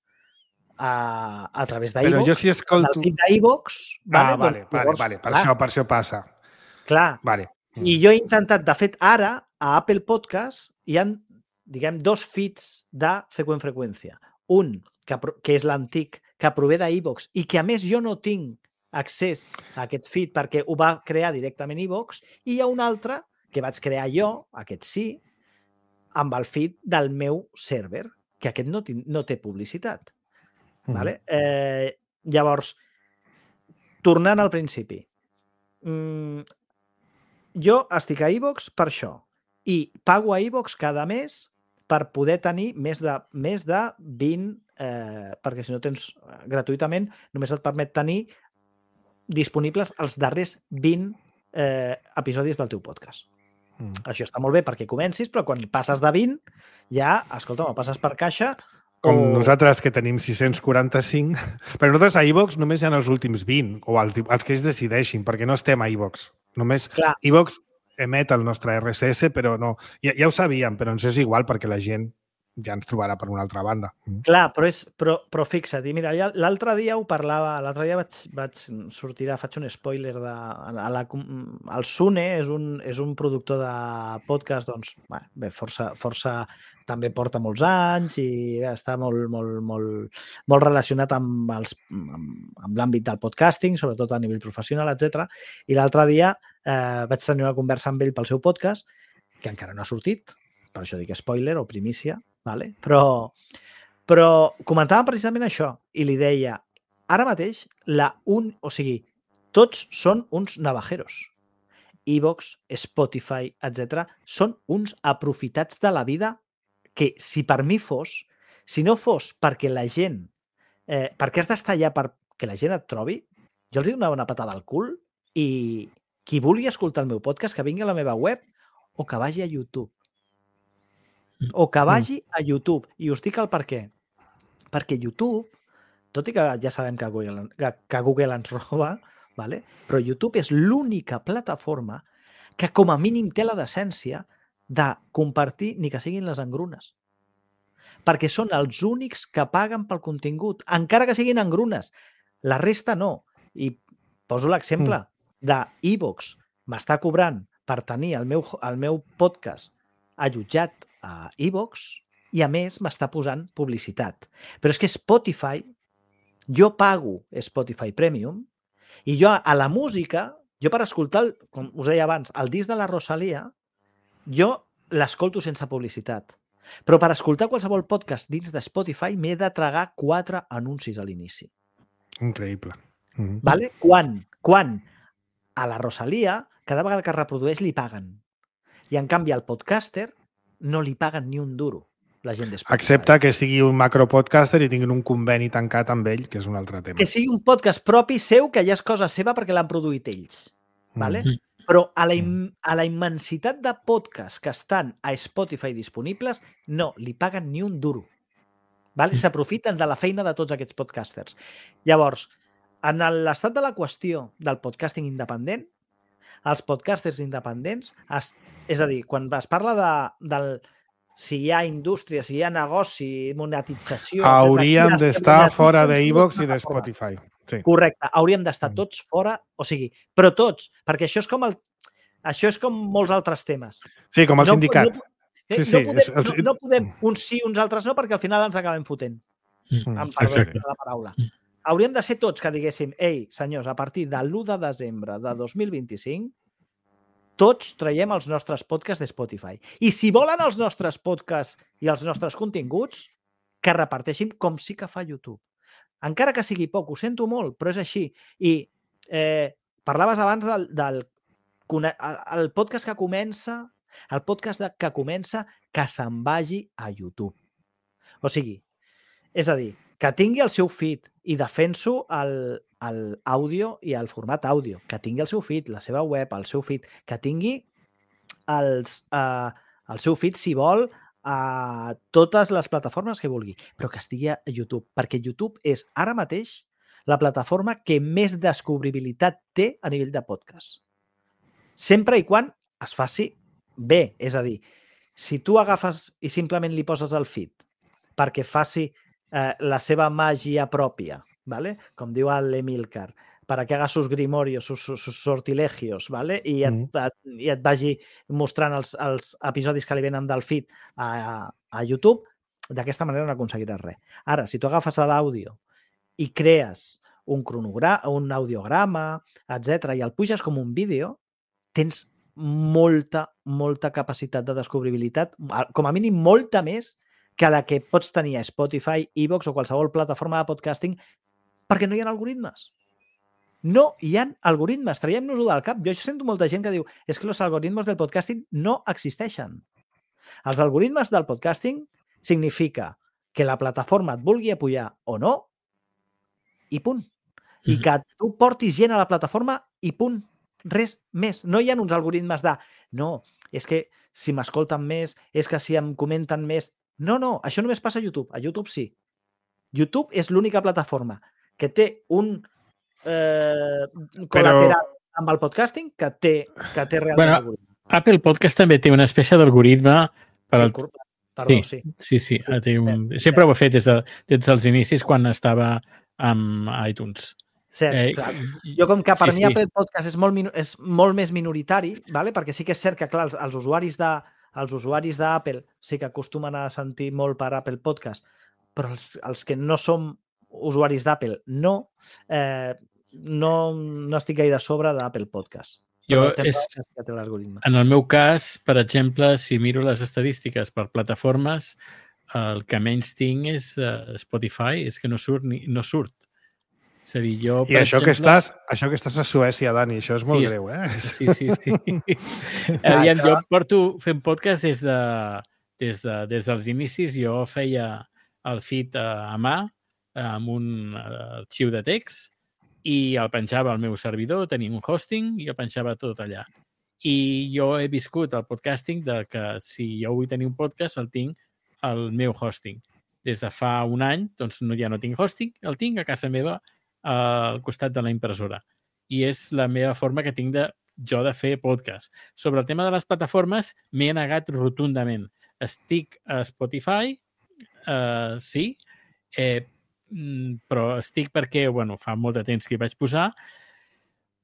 a través d'iVoox, però jo si escolto... el feed d'iVoox... Vale. Per això passa. Clar. Vale. I jo he intentat, de fet, ara, a Apple Podcast, hi ha, diguem, 2 feeds de CQ en freqüència. Un, que és l'antic, que prové d'iVoox i que, a més, jo no tinc accés a aquest feed perquè ho va crear directament iVoox, i hi ha un altre que vaig crear jo, aquest sí, amb el feed del meu server, que aquest no té publicitat. Vale? Llavors, tornant al principi, jo estic a iVoox per això i pago a iVoox cada mes per poder tenir més de 20, perquè si no tens gratuïtament, només et permet tenir disponibles els darrers 20 episodis del teu podcast. Això està molt bé perquè comencis, però quan passes de 20 ja, escolta, o passes per caixa com nosaltres, que tenim 645, però nosaltres a iVoox només hi ha els últims 20, o els que ells decideixin, perquè no estem a iVoox. Només iVoox emet el nostre RSS, però no... Ja ho sabíem, però ens és igual perquè la gent ja ens trobarà per una altra banda. Clar, però fixa't, i mira, l'altre dia ho parlava, l'altre dia vaig sortir, faig un spoiler, el Sune és un productor de podcast, doncs, bé, força també porta molts anys i està molt relacionat amb l'àmbit del podcasting, sobretot a nivell professional, etc. I l'altre dia vaig tenir una conversa amb ell pel seu podcast, que encara no ha sortit, per això dic spoiler o primícia, vale? Però comentàvem precisament això i li deia, ara mateix, tots són uns navajeros. iVoox, Spotify, etc. són uns aprofitats de la vida que si per mi si no fos perquè la gent, perquè has d'estar allà perquè la gent et trobi, jo els donava una patada al cul i qui vulgui escoltar el meu podcast que vingui a la meva web o que vagi a YouTube. O que vagi a YouTube. I us dic el per què. Perquè YouTube, tot i que ja sabem que Google ens roba, vale? Però YouTube és l'única plataforma que com a mínim té la decència de compartir ni que siguin les engrunes. Perquè són els únics que paguen pel contingut, encara que siguin engrunes. La resta no. I poso l'exemple de iVoox. M'està cobrant per tenir el meu podcast allotjat a iVoox i, a més, m'està posant publicitat. Però és que Spotify, jo pago Spotify Premium i jo a la música, jo per escoltar, com us deia abans, el disc de la Rosalia, jo l'escolto sense publicitat. Però per escoltar qualsevol podcast dins de Spotify m'he de tragar 4 anuncis a l'inici. Increïble. Vale? Quan a la Rosalia, cada vegada que reprodueix li paguen. I en canvi al podcaster no li paguen ni un duro. la gent de Spotify. Excepte que sigui un macropodcaster i tinguin un conveni tancat amb ell, que és un altre tema. Que sigui un podcast propi seu, que ja és cosa seva perquè l'han produït ells. Vale? Però a la immensitat de podcasts que estan a Spotify disponibles, no li paguen ni un duro. Vale? S'aprofiten de la feina de tots aquests podcasters. Llavors, en l'estat de la qüestió del podcasting independent, els podcasters independents, és a dir, quan es parla del si hi ha indústria, si hi ha negoci, monetització... Hauríem d'estar fora d'iVoox i de Spotify. Sí. Correcte, hauríem d'estar tots fora, o sigui, però tots, perquè això és com molts altres temes. Sí, com el sindicat. No podem uns sí, uns altres no, perquè al final ens acabem fotent. Amb perdó de la paraula. Hauríem de ser tots que diguéssim, ei, senyors, a partir de l'1 de desembre de 2025, tots traiem els nostres podcasts de Spotify. I si volen els nostres podcasts i els nostres continguts, que reparteixin com sí que fa YouTube. Encara que sigui poc, ho sento molt, però és així. I parlaves abans del podcast que comença, que se'n vagi a YouTube. O sigui, és a dir, que tingui el seu feed, i defenso l'àudio i el format àudio, que tingui el seu feed, la seva web, el seu feed, que tingui el seu feed, si vol, a totes les plataformes que vulgui, però que estigui a YouTube, perquè YouTube és ara mateix la plataforma que més descobribilitat té a nivell de podcast. Sempre i quan es faci bé, és a dir, si tu agafes i simplement li poses el feed perquè faci la seva màgia pròpia, ¿vale? Com diu l'Emilcar, para que haga sus grimorios, sus sortilegios, ¿vale? I et vagi mostrant els episodis que li venen del feed a YouTube, d'aquesta manera no aconseguiràs res. Ara, si tu agafes l'àudio i crees un audiograma, etc i el puges com un vídeo, tens molta capacitat de descobribilitat, com a mínim molta més que la que pots tenir a Spotify, iVoox o qualsevol plataforma de podcasting, perquè no hi ha algoritmes. No hi ha algoritmes. Traiem-nos-ho del cap. Jo sento molta gent que diu és que els algoritmes del podcasting no existeixen. Els algoritmes del podcasting significa que la plataforma et vulgui apoyar o no i punt. I que tu portis gent a la plataforma i punt. Res més. No hi ha uns algoritmes de no, és que si m'escolten més, és que si em comenten més... No, això només passa a YouTube. A YouTube sí. YouTube és l'única plataforma que té un col·lateral amb el podcasting que té realment algoritme. Apple Podcast també té una espècie d'algoritme per al... Perdó, sí. Sí. Sempre ho ha fet des dels inicis quan estava amb iTunes. Cert, clar. Jo com que per mi Apple Podcast és molt més minoritari, ¿vale? Perquè sí que és cert que clar, els usuaris d'Apple sí que acostumen a sentir molt per Apple Podcast, però els que no som usuaris d'Apple no estic gaire a sobre d'Apple Podcast. En el meu cas, per exemple, si miro les estadístiques per plataformes, el que menys tinc és Spotify, és que no surt. És a dir, jo, I això que estàs a Suècia, Dani, això és molt greu, eh? Sí. Jo porto fent podcast des dels inicis. Jo feia el feed a mà amb un arxiu de text i el penjava al meu servidor, tenia un hosting i el penjava tot allà. I jo he viscut el podcasting de que si jo vull tenir un podcast el tinc al meu hosting. Des de fa un any doncs ja no tinc hosting, el tinc a casa meva al costat de la impressora. I és la meva forma que tinc de fer podcast. Sobre el tema de les plataformes m'he negat rotundament. Estic a Spotify, sí, però estic perquè, fa molt de temps que hi vaig posar,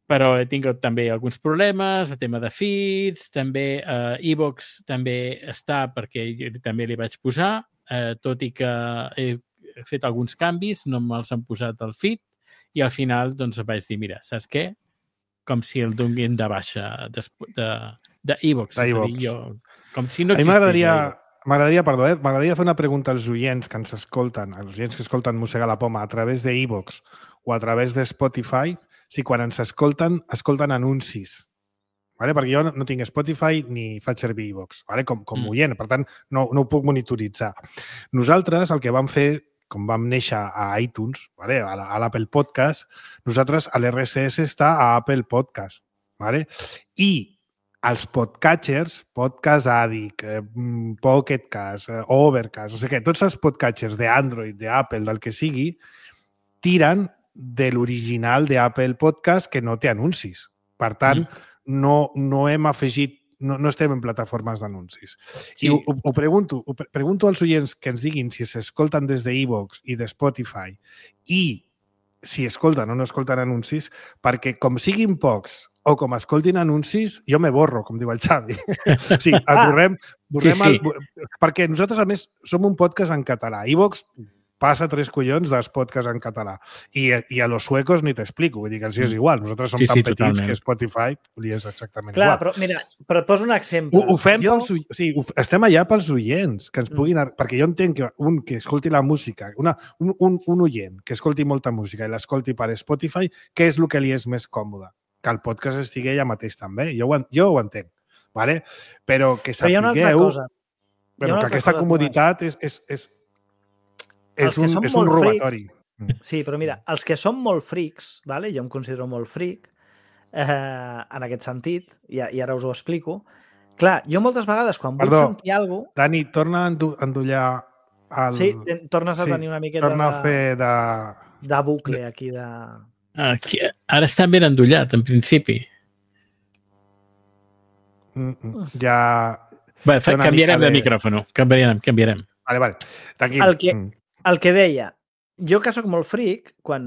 però he tingut també alguns problemes, el tema de feeds, també iVoox també està perquè també li vaig posar, tot i que he fet alguns canvis, no me'ls han posat al feed, i al final doncs vaig dir, mira, saps què? Com si el donguin de baixa d'iVoox. Com si no existís. M'agradaria fer una pregunta als oients que ens escolten, als oients que escolten Mossega la Poma a través d'iVoox o a través de Spotify, si quan ens escolten anuncis vale? Perquè jo no tinc Spotify ni faig servir iVoox, vale? com oient, per tant, no ho puc monitoritzar. Nosaltres el que vam fer, com vam néixer a iTunes, vale? A l'Apple Podcast, nosaltres a l'RSS està a Apple Podcast. Vale? I els podcatchers, Podcast Addict, Pocket Cast, Overcast, o sigui que tots els podcatchers d'Android, d'Apple, del que sigui, tiren de l'original d'Apple Podcast que no té anuncis. Per tant, no hem afegit, no estem en plataformes d'anuncis. Sí. I ho pregunto als oients que ens diguin si s'escolten des d'iVoox i de Spotify i si escolten o no escolten anuncis, perquè com siguin pocs o com escoltin anuncis, jo me borro, com diu el Xavi. O sigui, borrem perquè nosaltres, a més, som un podcast en català. iVoox passa 3 collons dels podcasts en català. I a los suecos ni t'explico. Vull dir que els és igual. Nosaltres som tan petits totalment. Que Spotify li és exactament igual. Però mira, però et poso un exemple. Ho fem estem allà pels oients, que ens puguin... Perquè jo entenc que un que escolti la música, un oient que escolti molta música i l'escolti per Spotify, què és el que li és més còmode? Que el podcast estigui allà mateix també. Jo ho entenc. Vale? Però que sapigueu... Però que aquesta comoditat és un robatori. Sí, però mira, els que són molt frics, vale? Jo em considero molt fric, en aquest sentit, i ara us ho explico. Clar, jo moltes vegades, quan vull sentir alguna cosa... Dani, torna a endollar el... Sí, tornes a tenir una miqueta torna a fer de bucle aquí de... Ara està ben endollat, en principi. Ja... Bé, canviarem de micròfon. Canviarem. Vale. Tranquil. El que deia, jo que soc molt fric, quan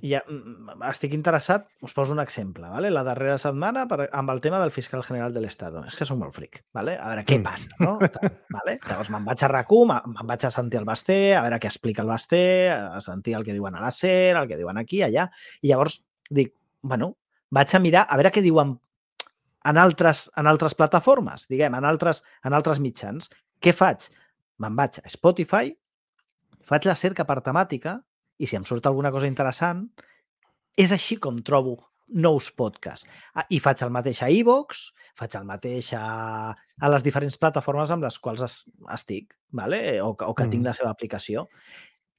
ja estic interessat, us poso un exemple, ¿vale? La darrera setmana amb el tema del fiscal general de l'Estado. És que soc molt fric, ¿vale? A veure què passa, no? ¿Vale? Llavors me'n vaig a RAC1, me'n vaig a sentir el Basté, a veure què explica el Basté, a sentir el que diuen a la SER, el que diuen aquí, allà, i llavors dic, bueno, vaig a mirar a veure què diuen en altres plataformes, diguem, en altres mitjans. Què faig? Me'n vaig a Spotify, faig la cerca per temàtica i si em surt alguna cosa interessant, és així com trobo nous podcasts. I faig el mateix a iVoox, faig el mateix a les diferents plataformes amb les quals estic, ¿vale? o que tinc la seva aplicació.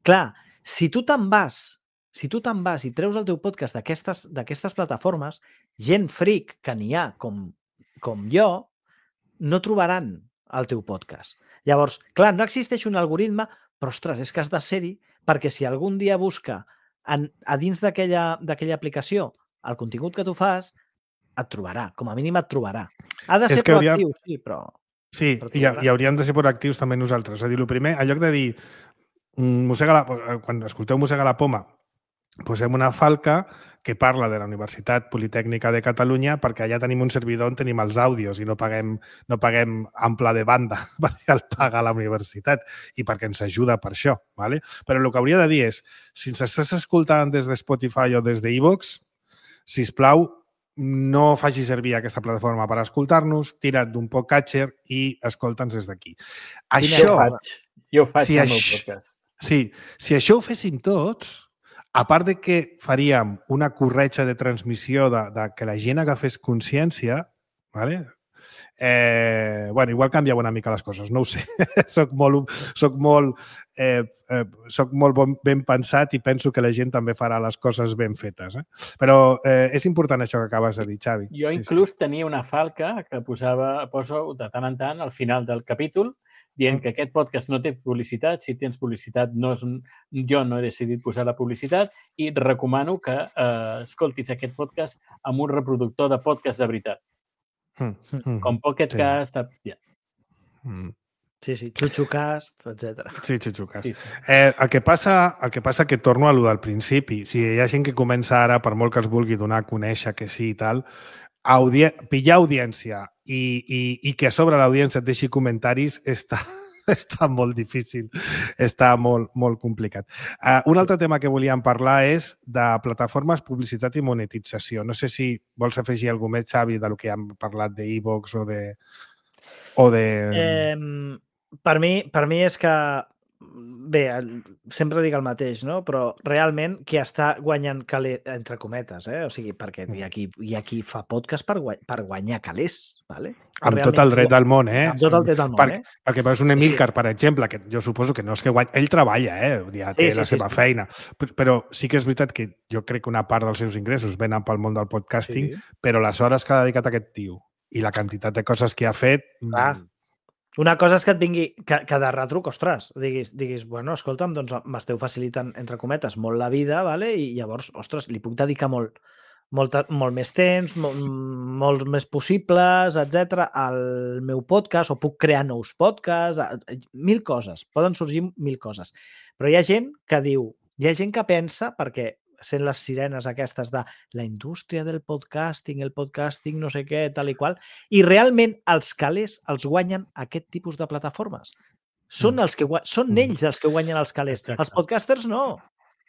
Clar, si tu te'n vas i treus el teu podcast d'aquestes plataformes, gent fric que n'hi ha com jo, no trobaran el teu podcast. Llavors, clar, no existeix un algoritme, però, ostres, és que has de ser-hi perquè si algun dia busca a dins d'aquella aplicació el contingut que tu fas, et trobarà. Com a mínim et trobarà. Ha de ser proactiu, sí, però... Sí, i hauríem de ser proactius també nosaltres. És a dir, el primer, en lloc de dir quan escolteu Mossega la Poma, posem una falca que parla de la Universitat Politècnica de Catalunya perquè allà tenim un servidor on tenim els àudios i no paguem ample de banda perquè el paga la universitat i perquè ens ajuda per això. ¿Vale? Però el que hauria de dir és, si ens estàs escoltant des de Spotify o des d'iVoox, sisplau, no faci servir aquesta plataforma per escoltar-nos, tira't d'un podcatcher i escolta'ns des d'aquí. Jo ho faig amb el podcast. Sí, si això ho féssim tots, a part de que faríem una corretja de transmissió de que la gent agafés consciència, ¿vale? Igual canviava una mica les coses, no ho sé. Soc molt ben pensat i penso que la gent també farà les coses ben fetes. Però és important això que acabes de dir, Xavi. Jo inclús tenia una falca que poso de tant en tant al final del capítol dient que aquest podcast no té publicitat. Si tens publicitat, jo no he decidit posar la publicitat i recomano que escoltis aquest podcast amb un reproductor de podcast de veritat. Com Pocket Cast... Sí, Chuchucast, etc. Sí, Chuchucast. Sí. El que passa que torno a lo del principi. Si hi ha gent que comença ara, per molt que es vulgui donar a conèixer que sí i tal, pillar audiència i que a sobre l'audiència et deixi comentaris està molt difícil, està molt, molt complicat. Un altre tema que volíem parlar és de plataformes, publicitat i monetització. No sé si vols afegir alguna més, Xavi, del que hem parlat d'iVoox o de... Per mi és que bé, sempre dic el mateix, no? Però realment qui està guanyant calés, entre cometes, o sigui, perquè hi ha qui fa podcast per guanyar calés, ¿vale? Amb tot el dret del món, Amb tot el dret del món, Perquè veus un Emílcar, per exemple, que jo suposo que no és que guanya... Ell treballa, ja té la seva feina. Però sí que és veritat que jo crec que una part dels seus ingressos venen pel món del podcasting, però les hores que ha dedicat aquest tio i la quantitat de coses que ha fet... Una cosa és que et vingui, que de retruc, ostres, diguis, bueno, escolta'm, doncs m'esteu facilitant, entre cometes, molt la vida, ¿vale? I llavors, ostres, li puc dedicar molt més temps, molts més possibles, etc al meu podcast, o puc crear nous podcasts, 1000 coses, poden sorgir 1000 coses. Però hi ha gent que diu, hi ha gent que pensa, perquè sent les sirenes aquestes de la indústria del podcasting, el podcasting no sé què, tal i qual, i realment els calés els guanyen aquest tipus de plataformes. Són ells els que guanyen els calés. Els podcasters no.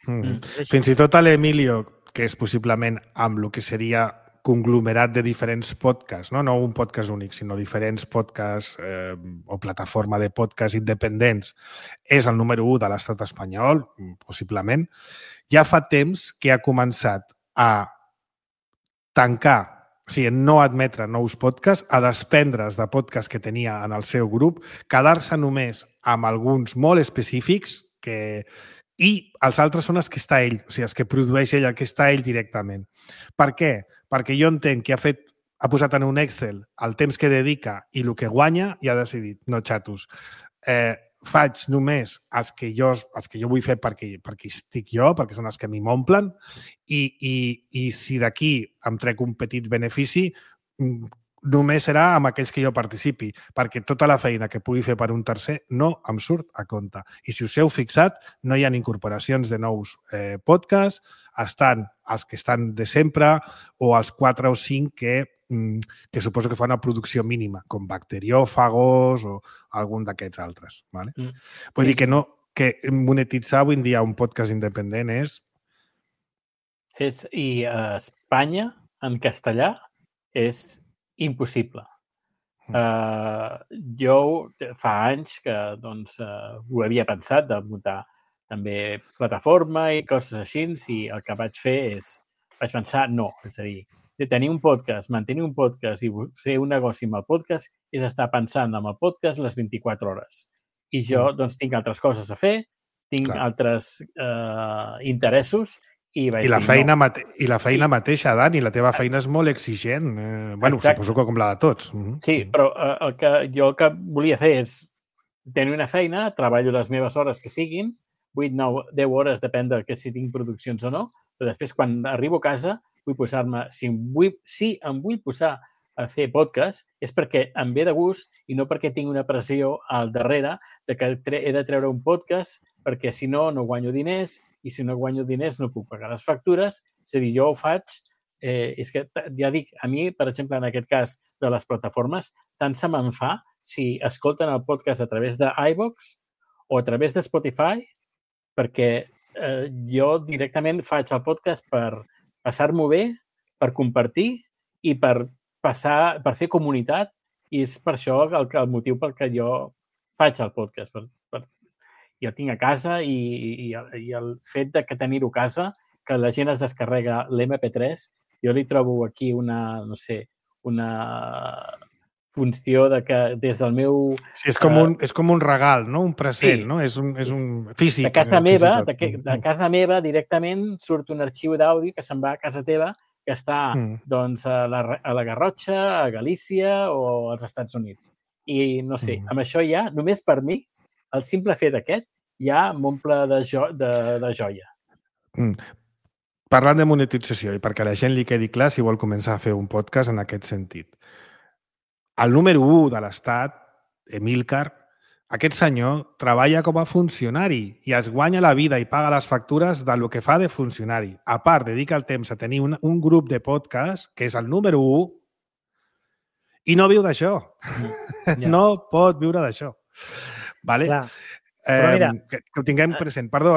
Fins i tot a l'Emilio, que és possiblement amb el que seria conglomerat de diferents podcasts, no un podcast únic, sinó diferents podcasts o plataforma de podcasts independents, és el número 1 de l'estat espanyol, possiblement. Ja fa temps que ha començat a tancar, o sigui, no admetre nous podcasts, a desprendre's de podcasts que tenia en el seu grup, quedar-se només amb alguns molt específics i els altres són els que està ell, o sigui, els que produeix ell, el que està ell directament. Per què? Perquè jo entenc que ha posat en un Excel el temps que dedica i el que guanya i ha decidit, no xatos, faig només els que jo vull fer perquè estic jo, perquè són els que m'hi m'omplen, i si d'aquí em trec un petit benefici, només serà amb aquells que jo participi, perquè tota la feina que pugui fer per un tercer no em surt a compte. I si us heu fixat, no hi ha incorporacions de nous podcasts, estan els que estan de sempre o els 4 o 5 que suposo que fa una producció mínima, com Bacteriòfagos o algun d'aquests altres. ¿Vale? Vull dir que monetitzar avui en dia un podcast independent és... I a Espanya, en castellà, és impossible. Jo fa anys que ho havia pensat de muntar també plataforma i coses així, i el que vaig pensar no, és a dir, de tenir un podcast, mantenir un podcast i fer un negoci amb el podcast és estar pensant en el podcast les 24 hores. I jo tinc altres coses a fer, tinc altres interessos. I la feina mateixa, Dani, la teva feina és molt exigent. Suposo que com la de tots. Sí, però el que volia fer és tenir una feina, treballo les meves hores que siguin, 8, 9, 10 hores, depèn de si tinc produccions o no, però després, quan arribo a casa, vull posar-me... Si em vull posar a fer podcast, és perquè em ve de gust i no perquè tinc una pressió al darrere de que he de treure un podcast perquè, si no, no guanyo diners, i si no guanyo diners no puc pagar les factures. És a dir, jo ho faig... és que, ja dic, a mi, per exemple, en aquest cas de les plataformes, tant se me'n fa si escolten el podcast a través d'iVoox o a través de Spotify, perquè jo directament faig el podcast per passar-m'ho bé, per compartir i per fer comunitat, i és per això el motiu pel que jo faig el podcast. Jo el tinc a casa i el fet de tenir-ho a casa, que la gent es descarrega l'MP3, jo li trobo aquí una funció de que des del meu... Sí, és com un regal, no? Un present, no? És un físic. De casa meva directament surt un arxiu d'àudio que se'n va a casa teva, que està a la Garrotxa, a Galícia o als Estats Units. I no sé, amb això ja, només per mi, el simple fet aquest ja m'omple de joia. Parlant de monetització, i perquè a la gent li quedi clar si vol començar a fer un podcast en aquest sentit. El número 1 de l'Estat, Emílcar, aquest senyor treballa com a funcionari i es guanya la vida i paga les factures del que fa de funcionari. A part, dedica el temps a tenir un grup de podcast, que és el número 1, i no viu d'això. No pot viure d'això. Vale? Però mira... Que ho tinguem present. Perdó,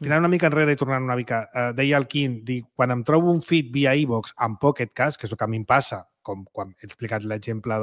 tirant una mica enrere i tornant una mica. Deia el Quim, quan em trobo un feed via iVoox amb Pocket Cast, que és el que a mi em passa, com quan he explicat l'exemple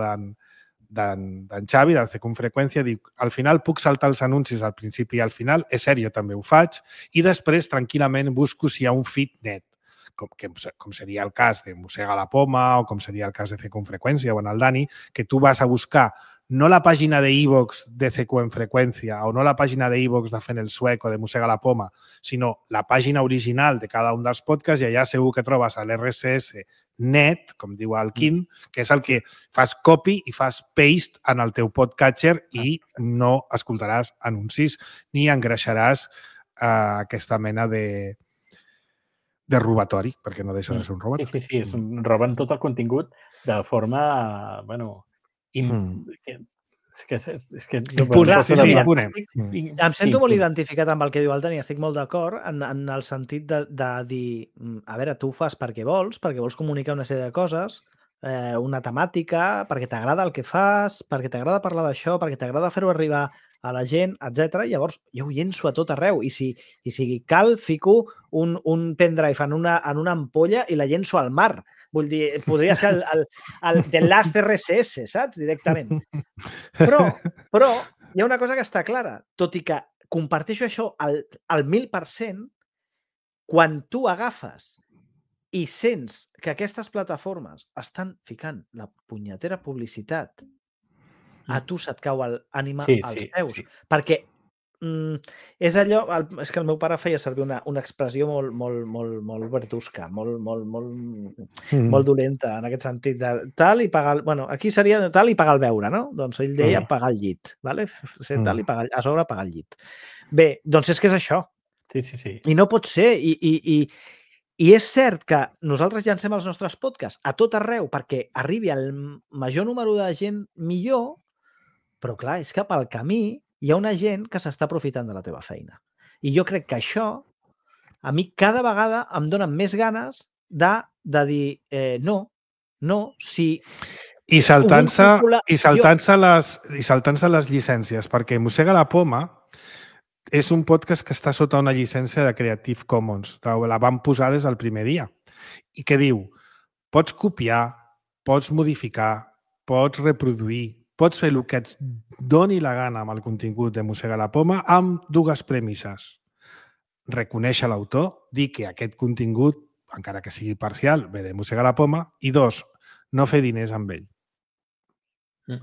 d'en Xavi, del Circunfreqüència, diu, al final puc saltar els anuncis al principi i al final, és cert, jo també ho faig, i després tranquil·lament busco si hi ha un feed net, com seria el cas de Mossega la Poma o com seria el cas de Circunfreqüència o en el Dani, que tu vas a buscar no la pàgina de iVoox de Circunfreqüència o no la pàgina de iVoox de Fent el Suec o de Mossega la Poma, sinó la pàgina original de cada un dels podcasts i allà segur que trobes l'RSS net, com diu el Quim, que és el que fas copy i fas paste en el teu podcatcher i no escoltaràs anuncis ni engreixaràs aquesta mena de robatori, perquè no deixa de ser un robatori. Sí, roben tot el contingut de forma, és que em sento molt identificat amb el que diu el Dani, estic molt d'acord en el sentit de dir, a veure, tu ho fas perquè vols comunicar una sèrie de coses, una temàtica, perquè t'agrada el que fas, perquè t'agrada parlar d'això, perquè t'agrada fer-ho arribar a la gent, etc. Llavors, jo ho llenço a tot arreu i si cal, fico un pendrive en una ampolla i la llenço al mar. Vull dir, podria ser el The Last RSS, saps? Directament. Però hi ha una cosa que està clara. Tot i que comparteixo això al 1000%, quan tu agafes i sents que aquestes plataformes estan ficant la punyetera publicitat, a tu se't cau l'ànima als peus. Perquè és allò... És que el meu pare feia servir una expressió molt verdusca, molt dolenta en aquest sentit. De tal i pagar... Bueno, aquí seria de tal i pagar el beure, no? Doncs ell deia pagar el llit. Vale? Ser tal i pagar, a sobre pagar el llit. Bé, doncs és que és això. Sí. I no pot ser. I és cert que nosaltres llancem els nostres podcasts a tot arreu perquè arribi al major número de gent millor, però clar, és que pel camí hi ha una gent que s'està aprofitant de la teva feina. I jo crec que això, a mi cada vegada em dona més ganes de dir no, si... I saltant-se les llicències, perquè Mossega la Poma és un podcast que està sota una llicència de Creative Commons. La van posar des del primer dia. I que diu, pots copiar, pots modificar, pots reproduir, pots fer el que et doni la gana amb el contingut de Mossega la Poma amb dues premisses. Reconèixer l'autor, dir que aquest contingut, encara que sigui parcial, ve de Mossega la Poma, i dos, no fer diners amb ell.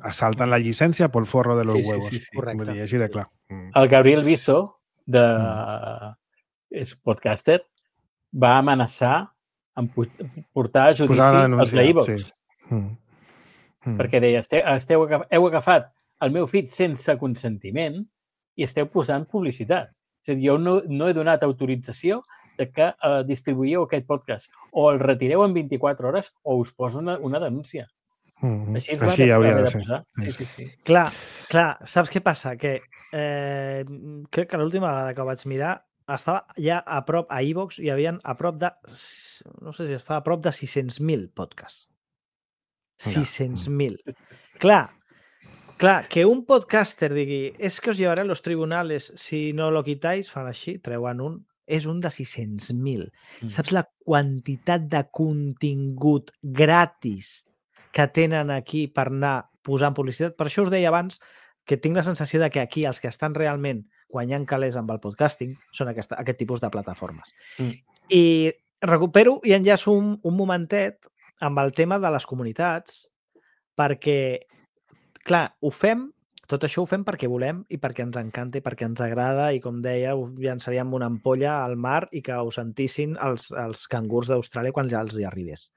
Assalten la llicència pel forro de los huevos. Correcte. Així de clar. El Gabriel Bizo, és podcaster, va amenaçar amb portar a judici als iVoox. Perquè deia, heu agafat el meu feed sense consentiment i esteu posant publicitat. És a dir, jo no he donat autorització de que distribuïeu aquest podcast. O el retireu en 24 hores o us poso una denúncia. Així hauria de ser. Sí. Clar, saps què passa? Que crec que l'última vegada que ho vaig mirar estava ja a prop, a iVoox, hi havia a prop de, no sé si estava a prop de 600.000 podcasts. 600.000. Clar, que un podcaster digui és que os llevaré a los tribunales si no lo quitáis, fan així, treuen un, és un de 600.000. Saps la quantitat de contingut gratis que tenen aquí per anar posant publicitat? Per això us deia abans que tinc la sensació de que aquí els que estan realment guanyant calés amb el podcasting són aquest tipus de plataformes. I recupero i enllaço un momentet amb el tema de les comunitats, perquè, clar, tot això ho fem perquè volem i perquè ens encanta i perquè ens agrada i, com deia, ho llançaríem una ampolla al mar i que ho sentissin els cangurs d'Austràlia quan ja els hi arribés.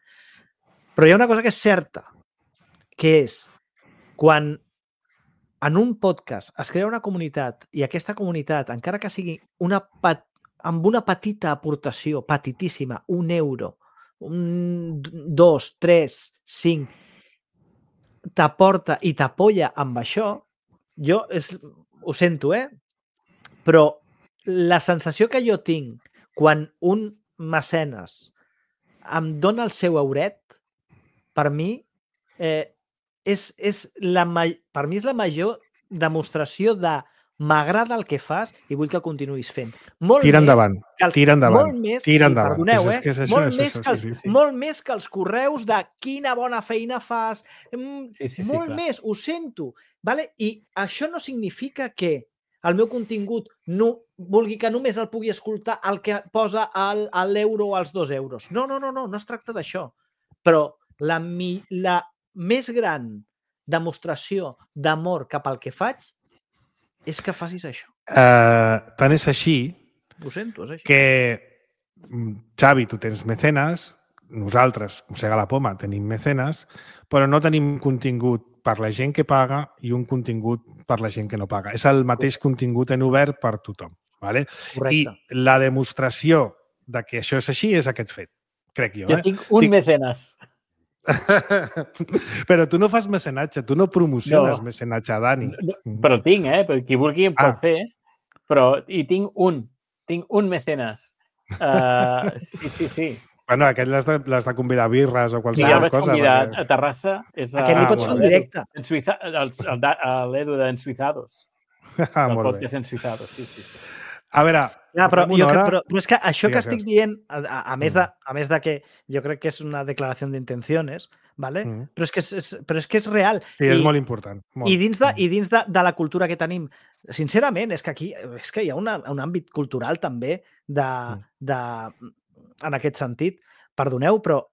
Però hi ha una cosa que és certa, que és quan en un podcast es crea una comunitat i aquesta comunitat, encara que sigui amb una petita aportació, petitíssima, €1, 2, 3, 5, t'aporta i t'apoya amb això, jo ho sento, però la sensació que jo tinc quan un mecenes em dona el seu euret, per mi és la major demostració de m'agrada el que fas i vull que continuïs fent. Tira endavant, tira endavant. Molt més, tira endavant. Perdoneu, és que és això, molt, és més això, que els, sí. molt més que els correus de quina bona feina fas, Sí, molt clar. més, ho sento. Vale? I això no significa que el meu contingut no vulgui que només el pugui escoltar el que posa l'euro o els 2 euros. No es tracta d'això. Però la més gran demostració d'amor cap al que faig és que facis això. Tant és així Ho sento, és així. que, Xavi, tu tens mecenes, nosaltres, Mossega la Poma, tenim mecenes, però no tenim contingut per la gent que paga i un contingut per la gent que no paga. És el mateix contingut en obert per tothom. Vale? Correcte. I la demostració de que això és així és aquest fet, crec jo. Jo tinc un mecenes. Però tu no fas mecenatge, tu no promociones mecenatge, Dani. Però tinc, per qui vulgui em pot fer, però hi tinc un mecenes. Sí. Bueno, aquest l'has de convidar a birres o Sí, qualsevol el vaig cosa. convidar a Terrassa. Aquest li pots fer en directe. L'Edu d'Ensuizados. El podcast Ensuizados, sí. A veure, però és que això que estic dient, a més de que jo crec que és una declaració d'intencions, ¿vale? Però és que és real. Sí, és molt important. I dins de la cultura que tenim, sincerament, és que aquí hi ha un àmbit cultural també en aquest sentit. Perdoneu, però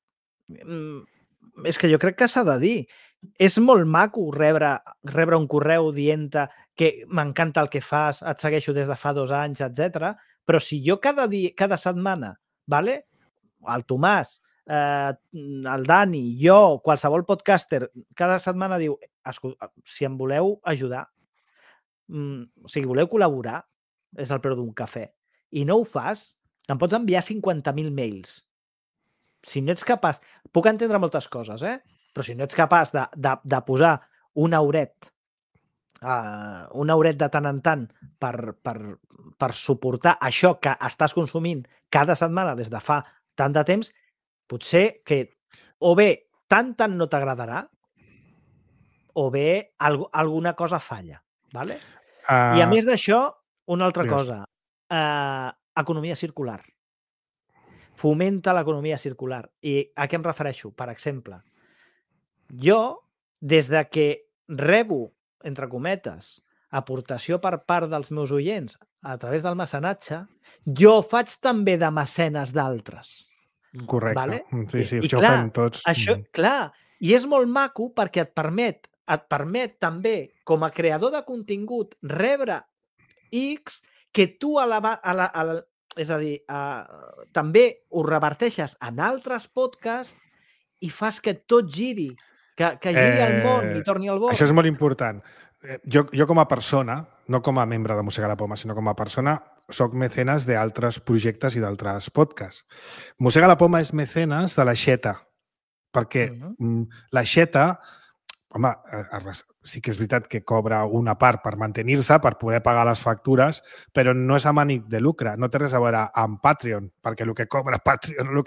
és que jo crec que s'ha de dir. És molt maco rebre un correu dient-te que m'encanta el que fas, et segueixo des de fa 2 anys, etc. Però si jo cada setmana, ¿vale? El Tomàs, el Dani, jo, qualsevol podcaster, cada setmana diu, si em voleu ajudar, si voleu col·laborar, és el preu d'un cafè, i no ho fas, em pots enviar 50.000 mails. Si no ets capaç... Puc entendre moltes coses, però si no ets capaç de posar un euret de tant en tant per suportar això que estàs consumint cada setmana des de fa tant de temps, potser que o bé tant no t'agradarà o bé alguna cosa falla. ¿Vale? I a més d'això, una altra cosa. Economia circular. Fomenta l'economia circular. I a què em refereixo? Per exemple, jo, des de que rebo, entre cometes, aportació per part dels meus oients a través del mecenatge, jo faig també de mecenes d'altres. Correcte. Vale? Sí, això ho fem tots. Això, clar, i és molt maco perquè et permet també, com a creador de contingut, rebre X que tu és a dir, també ho reverteixes en altres podcasts i fas que tot giri, que giri el món i torni al bord. Això és molt important. Jo com a persona, no com a membre de Mossega la Poma, sinó com a persona, soc mecenes d'altres projectes i d'altres podcasts. Mossega la Poma és mecenes de l'Aixeta, perquè l'Aixeta, home, sí que és veritat que cobra una part per mantenir-se, per poder pagar les factures, però no és amb ànim de lucre, no té res a veure amb Patreon, perquè el que cobra Patreon, el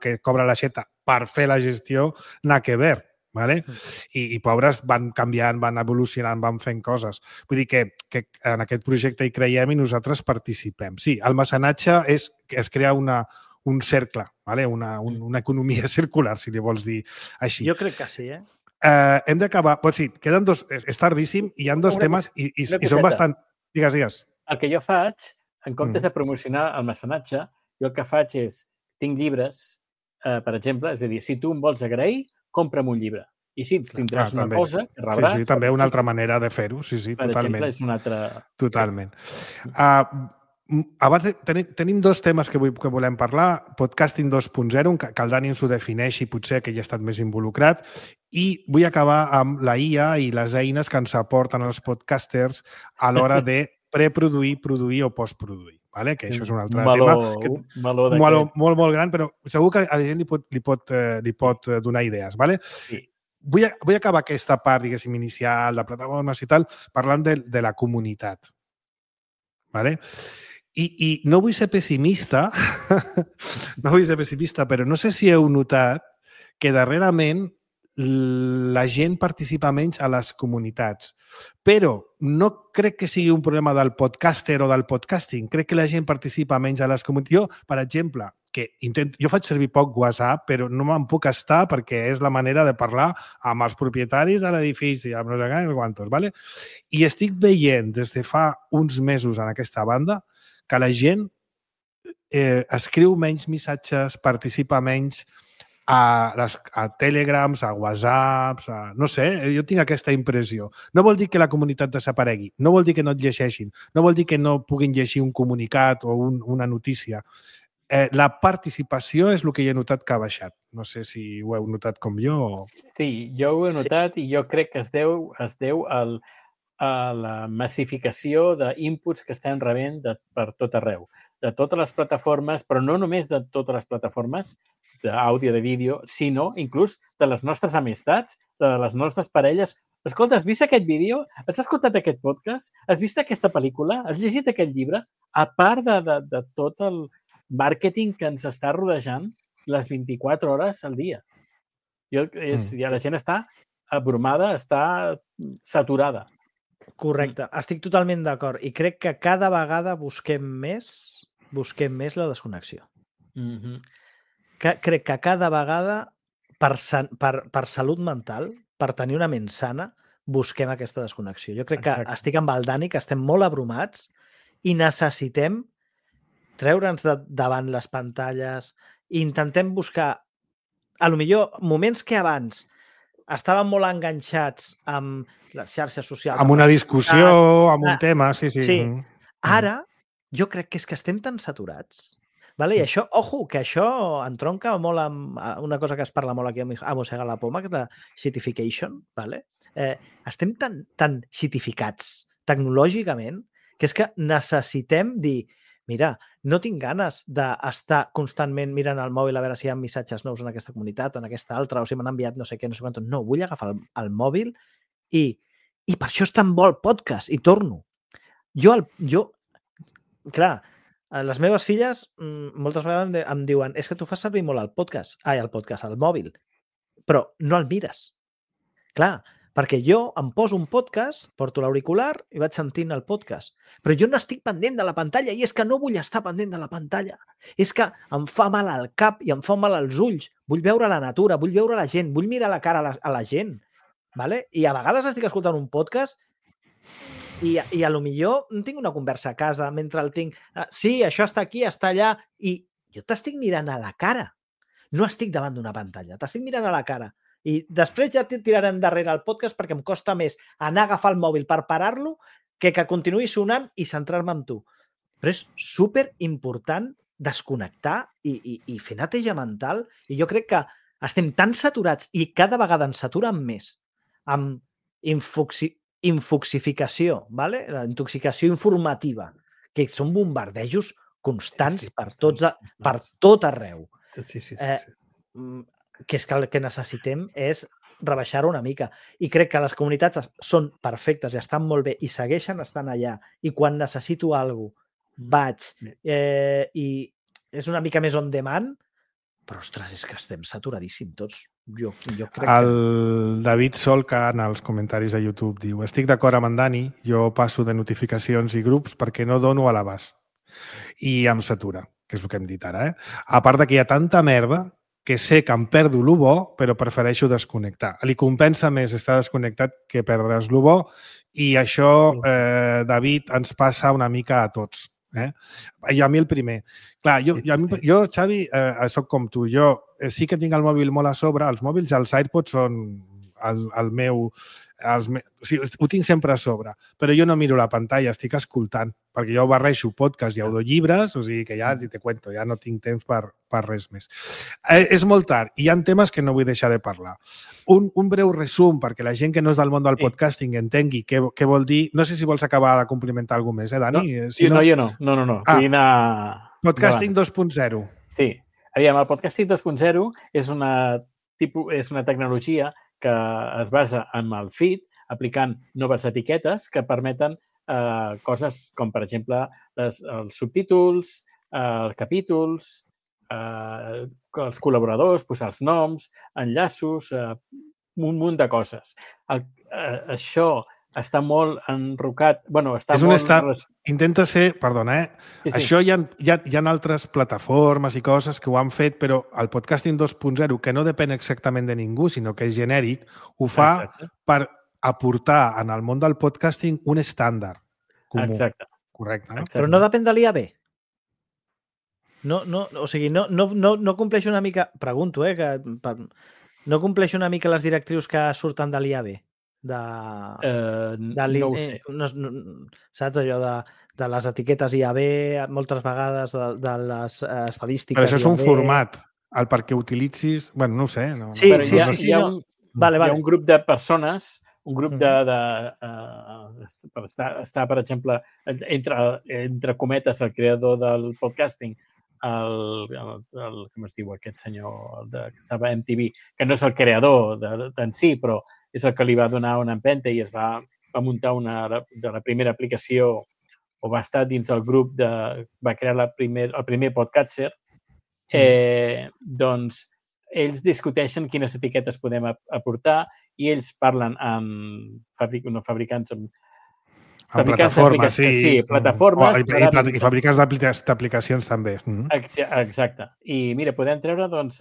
que cobra l'Aixeta per fer la gestió, n'ha que ver. Vale? I pobres van canviant, van evolucionant, van fent coses. Vull dir que en aquest projecte hi creiem i nosaltres participem. Sí, el mecenatge és que es crea un cercle, vale? una economia circular, si li vols dir així. Jo crec que sí, Hem d'acabar... Doncs sí, queden dos... És tardíssim i hi ha dos temes i són bastant... Digues. El que jo faig, en comptes de promocionar el mecenatge, jo el que faig és... Tinc llibres, per exemple, és a dir, si tu em vols agrair, compra'm un llibre. I sí, tindràs una cosa que rebràs... Sí, també una altra manera de fer-ho. Sí, per totalment. Per exemple, és una altra... Totalment. Abans tenim dos temes que volem parlar. Podcasting 2.0, que el Dani ens ho defineixi, potser que hi ha estat més involucrat. I vull acabar amb la IA i les eines que ens aporten els podcasters a l'hora de preproduir, produir o postproduir. Vale? Que això és un altre tema. Molt gran, però segur que a la gent li pot donar idees. Vale? Sí. Vull acabar aquesta part, diguéssim, inicial, de plataformes i tal, parlant de la comunitat. Vale? I no vull ser pessimista, però no sé si heu notat que darrerament la gent participa menys a les comunitats. Però no crec que sigui un problema del podcaster o del podcasting. Crec que la gent participa menys a les comunitats. Jo, per exemple, jo faig servir poc WhatsApp, però no me'n puc estar perquè és la manera de parlar amb els propietaris de l'edifici, amb no sé què, no sé quantos, ¿vale? I estic veient des de fa uns mesos en aquesta banda que la gent escriu menys missatges, participa menys a Telegrams, a Whatsapps, no sé, jo tinc aquesta impressió. No vol dir que la comunitat desaparegui, no vol dir que no et llegeixin, no vol dir que no puguin llegir un comunicat o una notícia. La participació és el que jo he notat que ha baixat. No sé si ho heu notat com jo o... Sí, jo ho he notat i jo crec que es deu a la massificació d'inputs que estem rebent per tot arreu, de totes les plataformes, però no només de totes les plataformes d'àudio, de vídeo, sinó inclús de les nostres amistats, de les nostres parelles. Escolta, has vist aquest vídeo? Has escoltat aquest podcast? Has vist aquesta pel·lícula? Has llegit aquest llibre? A part de tot el màrqueting que ens està rodejant les 24 hores al dia. Ja la gent està abrumada, està saturada. Correcte, estic totalment d'acord i crec que cada vegada busquem més la desconnexió. Crec que cada vegada per salut mental, per tenir una ment sana, busquem aquesta desconnexió. Jo crec que estic amb el Dani, que estem molt abrumats i necessitem treure'ns davant les pantalles i intentem buscar, a lo millor, moments que abans estàvem molt enganxats amb les xarxes socials. Amb una discussió, amb un tema, sí. Ara, jo crec que és que estem tan saturats. Vale? I això, ojo, que això entronca molt amb una cosa que es parla molt aquí a Mossega la Poma, que és la shitification. Vale? Estem tan shitificats tecnològicament que és que necessitem dir mira, no tinc ganes d'estar constantment mirant el mòbil a veure si hi ha missatges nous en aquesta comunitat o en aquesta altra, o si m'han enviat no sé què, no sé quant. No, vull agafar el mòbil i per això és tan bo el podcast, i torno. Clar, les meves filles moltes vegades em diuen és que tu fas servir molt el mòbil, però no el mires. Clar, perquè jo em poso un podcast, porto l'auricular i vaig sentint el podcast. Però jo no estic pendent de la pantalla i és que no vull estar pendent de la pantalla. És que em fa mal al cap i em fa mal als ulls. Vull veure la natura, vull veure la gent, vull mirar la cara a la gent. Vale? I a vegades estic escoltant un podcast i a lo millor no tinc una conversa a casa mentre el tinc. Sí, això està aquí, està allà. I jo t'estic mirant a la cara. No estic davant d'una pantalla, t'estic mirant a la cara. I després ja tiraré endarrere el podcast perquè em costa més anar a agafar el mòbil per parar-lo que continuï sonant i centrar-me en tu. Però és superimportant desconnectar i fer neteja mental. I jo crec que estem tan saturats i cada vegada ens saturen més amb infoxificació, ¿vale? La intoxicació informativa, que són bombardejos constants per tot arreu. Sí. Que és que el que necessitem és rebaixar-ho una mica. I crec que les comunitats són perfectes i estan molt bé i segueixen estant allà. I quan necessito alguna cosa, vaig. I és una mica més on demand, però, ostres, és que estem saturadíssims tots. Jo crec el David Solca, en els comentaris de YouTube, diu: estic d'acord amb en Dani, jo passo de notificacions i grups perquè no dono a l'abast. I em satura, que és el que hem dit ara. A part que hi ha tanta merda que sé que em perdo el bo, però prefereixo desconnectar. Li compensa més estar desconnectat que perdre's el bo i això, David, ens passa una mica a tots. I a mi el primer. Clar, jo Xavi, soc com tu. Jo sí que tinc el mòbil molt a sobre. Els mòbils, els AirPods són el meu... O sigui, ho tinc sempre a sobre, però jo no miro la pantalla, estic escoltant, perquè jo barreixo podcast i audiollibres, o sigui que ja te cuento, ja no tinc temps per res més. És molt tard i hi ha temes que no vull deixar de parlar. Un breu resum perquè la gent que no és del món del podcasting entengui què vol dir. No sé si vols acabar de complimentar alguna cosa més, Dani? No, jo no. Vull anar... Podcasting 2.0. Sí. Aviam, el podcasting 2.0 és una tecnologia que es basa en el feed, aplicant noves etiquetes que permeten coses com, per exemple, els subtítols, capítols, els col·laboradors, posar els noms, enllaços, un munt de coses. Això està molt enrocat... Bueno, està Intenta ser... Perdona, Sí. Això hi ha altres plataformes i coses que ho han fet, però el podcasting 2.0, que no depèn exactament de ningú, sinó que és genèric, ho fa per aportar en el món del podcasting un estàndard comú. Exacte. Correcte, no? Però no depèn de l'IAB. O sigui, no compleix una mica... Pregunto, no compleix una mica les directrius que surten de l'IAB? No ho sé. Saps allò de les etiquetes IAB, moltes vegades de les estadístiques. Però això és un format, el perquè utilitzis... Bueno, no ho sé. Sí, hi ha un grup de persones, un grup està, per exemple, entre cometes, el creador del podcasting, com es diu aquest senyor que estava a MTV, que no és el creador en si, però és el que li va donar una empenta i es va muntar de la primera aplicació, o va estar dins del grup va crear el primer podcatcher. Doncs ells discuteixen quines etiquetes podem aportar i ells parlen amb fabricants amb plataformes, sí, plataformes. I fabricants d'aplicacions també. Exacte. I mira, podem treure doncs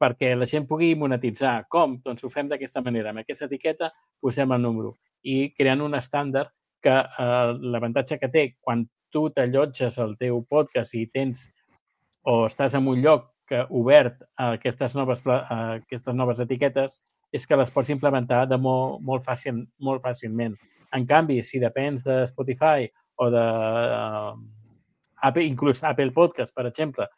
perquè la gent pugui monetitzar. Com? Doncs ho fem d'aquesta manera. Amb aquesta etiqueta posem el número i creant un estàndard que l'avantatge que té quan tu t'allotges al teu podcast i tens o estàs en un lloc obert a aquestes noves etiquetes és que les pots implementar de molt fàcilment. En canvi, si depens de Spotify o inclús Apple Podcast, per exemple,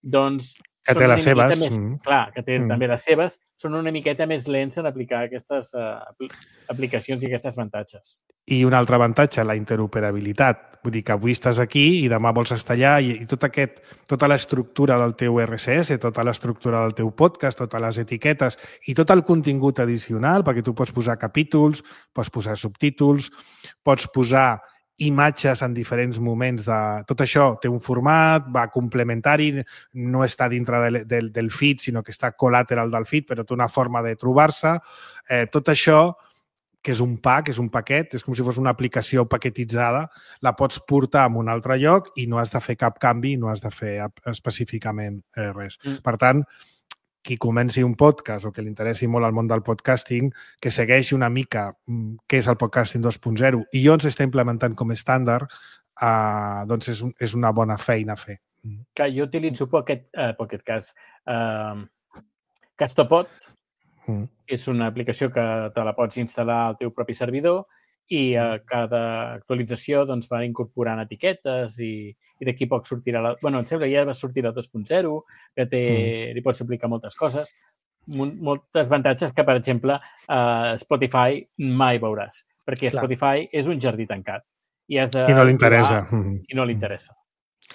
doncs que té les seves. Clar, que té també les seves, són una miqueta més lents en aplicar aquestes aplicacions i aquestes avantatges. I un altre avantatge, la interoperabilitat. Vull dir que avui estàs aquí i demà vols estar allà i tota l'estructura del teu RSS, tota l'estructura del teu podcast, totes les etiquetes i tot el contingut addicional, perquè tu pots posar capítols, pots posar subtítols, pots posar imatges en diferents moments. Tot això té un format, va complementari, no està dintre del feed, sinó que està col·lateral del feed, però té una forma de trobar-se. Tot això, que és un pack, és un paquet, és com si fos una aplicació paquetitzada, la pots portar a un altre lloc i no has de fer cap canvi, no has de fer específicament res. Per tant, qui comenci un podcast o que li interessi molt el món del podcasting, que segueixi una mica què és el podcasting 2.0 i on s'està implementant com a estàndard, doncs és una bona feina a fer. Que jo utilitzo aquest cas. Castopod és una aplicació que te la pots instal·lar al teu propi servidor i a cada actualització doncs, va incorporant etiquetes i d'aquí poc sortirà em sembla que ja va sortir la 2.0, que li pots aplicar moltes coses, moltes avantatges que, per exemple, Spotify mai veuràs, perquè Spotify és un jardí tancat. I no li interessa. I no li interessa.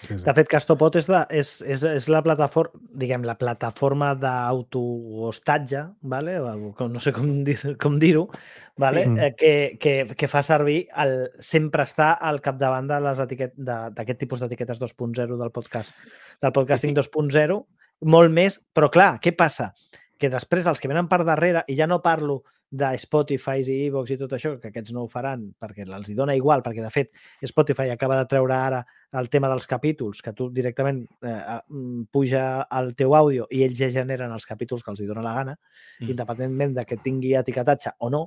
De fet, Castopod és la plataforma, diguem, la plataforma d'autohostatge, vale? No sé com dir-ho, vale? Que fa servir sempre estar al capdavant d'aquest tipus d'etiquetes 2.0 del podcasting 2.0, molt més, però clar, què passa? Que després els que venen per darrere, i ja no parlo de Spotify i iVoox i tot això, que aquests no ho faran perquè els hi dona igual, perquè de fet Spotify acaba de treure ara el tema dels capítols, que tu directament puja el teu àudio i ells ja generen els capítols que els hi dona la gana, independentment de que tingui etiquetatge o no.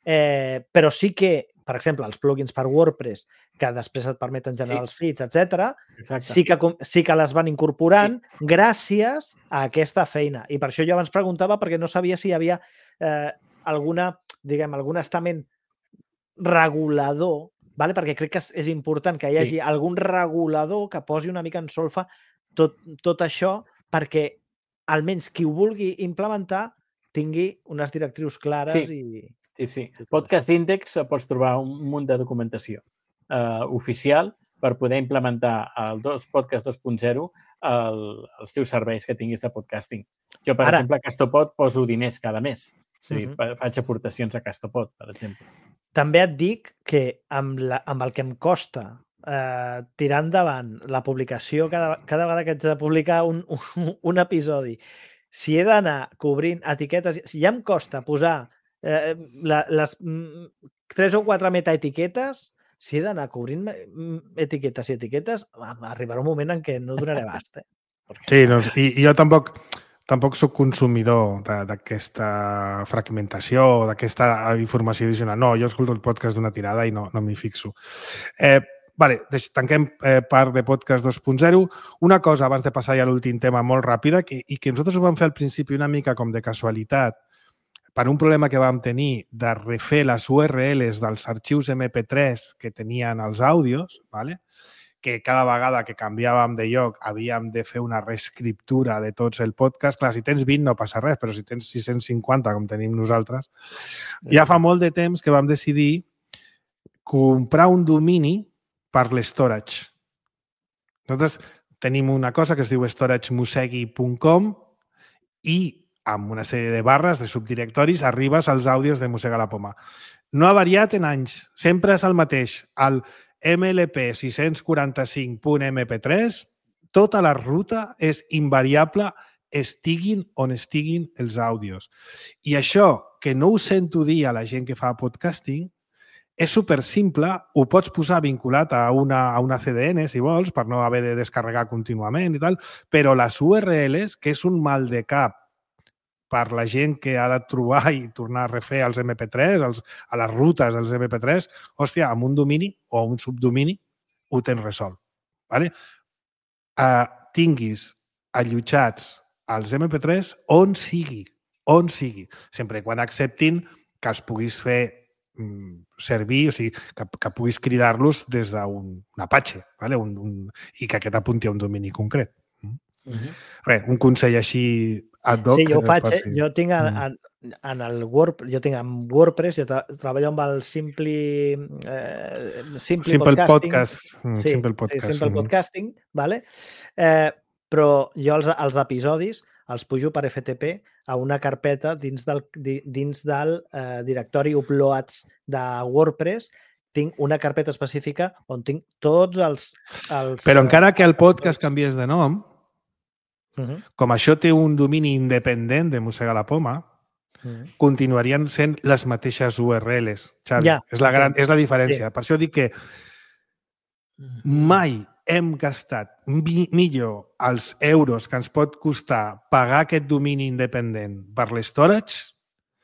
Però sí que, per exemple, els plugins per WordPress, que després et permeten generar els feeds, etc., sí que les van incorporant gràcies a aquesta feina. I per això jo abans preguntava, perquè no sabia si hi havia algun estament regulador, perquè crec que és important que hi hagi algun regulador que posi una mica en solfa tot això perquè almenys qui ho vulgui implementar tingui unes directrius clares. Sí. Podcast Index pots trobar un munt de documentació oficial per poder implementar el Podcast 2.0 als teus serveis que tinguis de podcasting. Jo, per exemple, a Castopod poso diners cada mes. Faig aportacions a Castopod, per exemple. També et dic que amb el que em costa tirar endavant la publicació cada vegada que haig de publicar un episodi, si he d'anar cobrint etiquetes, si ja em costa posar les 3 o 4 metaetiquetes, si he d'anar cobrint etiquetes i etiquetes, arribarà un moment en què no donaré abast. Sí, doncs, i jo tampoc soc consumidor d'aquesta fragmentació o d'aquesta informació addicional. No, jo escolto el podcast d'una tirada i no m'hi fixo. Vale, tanquem part de podcast 2.0. Una cosa, abans de passar ja a l'últim tema, molt ràpida, i que nosaltres ho vam fer al principi una mica com de casualitat, per un problema que vam tenir de refer les URLs dels arxius MP3 que tenien els àudios, ¿vale? Que cada vegada que canviàvem de lloc havíem de fer una reescriptura de tots el podcast. Clar, si tens 20 no passa res, però si tens 650, com tenim nosaltres, ja fa molt de temps que vam decidir comprar un domini per l'estorage. Nosaltres tenim una cosa que es diu storagemusegui.com i amb una sèrie de barres, de subdirectoris, arribes als àudios de Mossega la Poma. No ha variat en anys. Sempre és el mateix. El MLP 645.mp3, tota la ruta és invariable, estiguin on estiguin els àudios. I això, que no ho sento dir a la gent que fa podcasting, és supersimple, ho pots posar vinculat a una CDN, si vols, per no haver de descarregar contínuament i tal, però les URLs, que és un mal de cap per la gent que ha de trobar i tornar a refer els MP3, a les rutes dels MP3, hòstia, amb un domini o un subdomini ho tens resolt. Vale? Tinguis allotjats els MP3 on sigui, sempre quan acceptin que els puguis fer servir, o sigui, que puguis cridar-los des d'un Apache, vale? I que aquest apunti a un domini concret. Res, un consell així ad hoc. Sí, jo ho faig. Jo tinc en el WordPress, jo tinc amb WordPress, jo treballo amb el Simple Podcast. Simple Podcasting, vale? Però jo els episodis els pujo per FTP a una carpeta dins del directori uploads de WordPress. Tinc una carpeta específica on tinc tots els... Però encara que el podcast canvies de nom, com això té un domini independent de Mossega la Poma, continuarien sent les mateixes URLs, Xavi. Ja, és la diferència. Sí. Per això dic que mai hem gastat millor els euros que ens pot costar pagar aquest domini independent per l'estorage.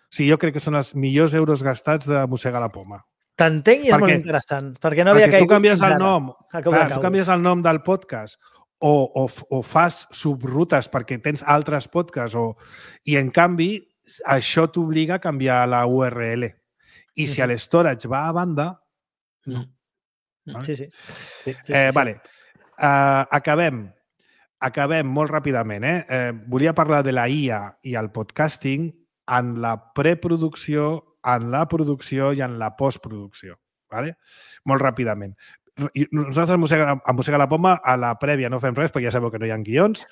Sí, jo crec que són els millors euros gastats de Mossega la Poma. T'entenc i és molt interessant. Perquè no havia caigut tu canvies el nom. Tu canvies el nom del podcast o fas subrutes perquè tens altres podcasts i, en canvi, això t'obliga a canviar la URL. I si l'estorage va a banda... No. Sí. Vale. Acabem molt ràpidament. Volia parlar de la IA i el podcasting en la preproducció, en la producció i en la postproducció. Vale? Molt ràpidament. Nosaltres a Mossega la Poma, a la prèvia no fem res, perquè ja sabeu que no hi ha guions.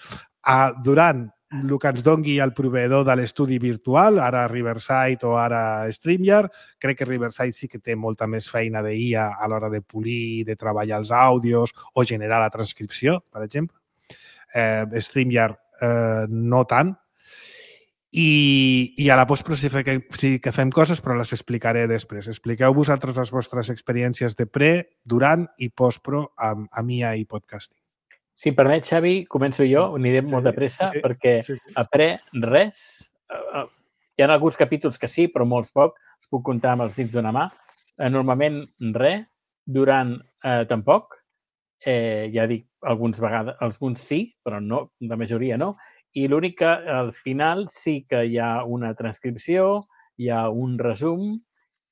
Durant el que ens dongui el proveïdor de l'estudi virtual, ara Riverside o ara StreamYard, crec que Riverside sí que té molta més feina d'IA a l'hora de polir, de treballar els àudios o generar la transcripció, per exemple. StreamYard no tant. I a la postpro sí que fem coses, però les explicaré després. Expliqueu vosaltres les vostres experiències de pre, durant i postpro amb IA i podcasting. Si em permet, Xavi, començo jo, anirem molt de pressa, perquè a pre, res. Hi ha alguns capítols que sí, però molts poc. Els puc comptar amb els dits d'una mà. Normalment, res. Durant, tampoc. Ja dic, alguns sí, però no, la majoria no. I l'únic que al final sí que hi ha una transcripció, hi ha un resum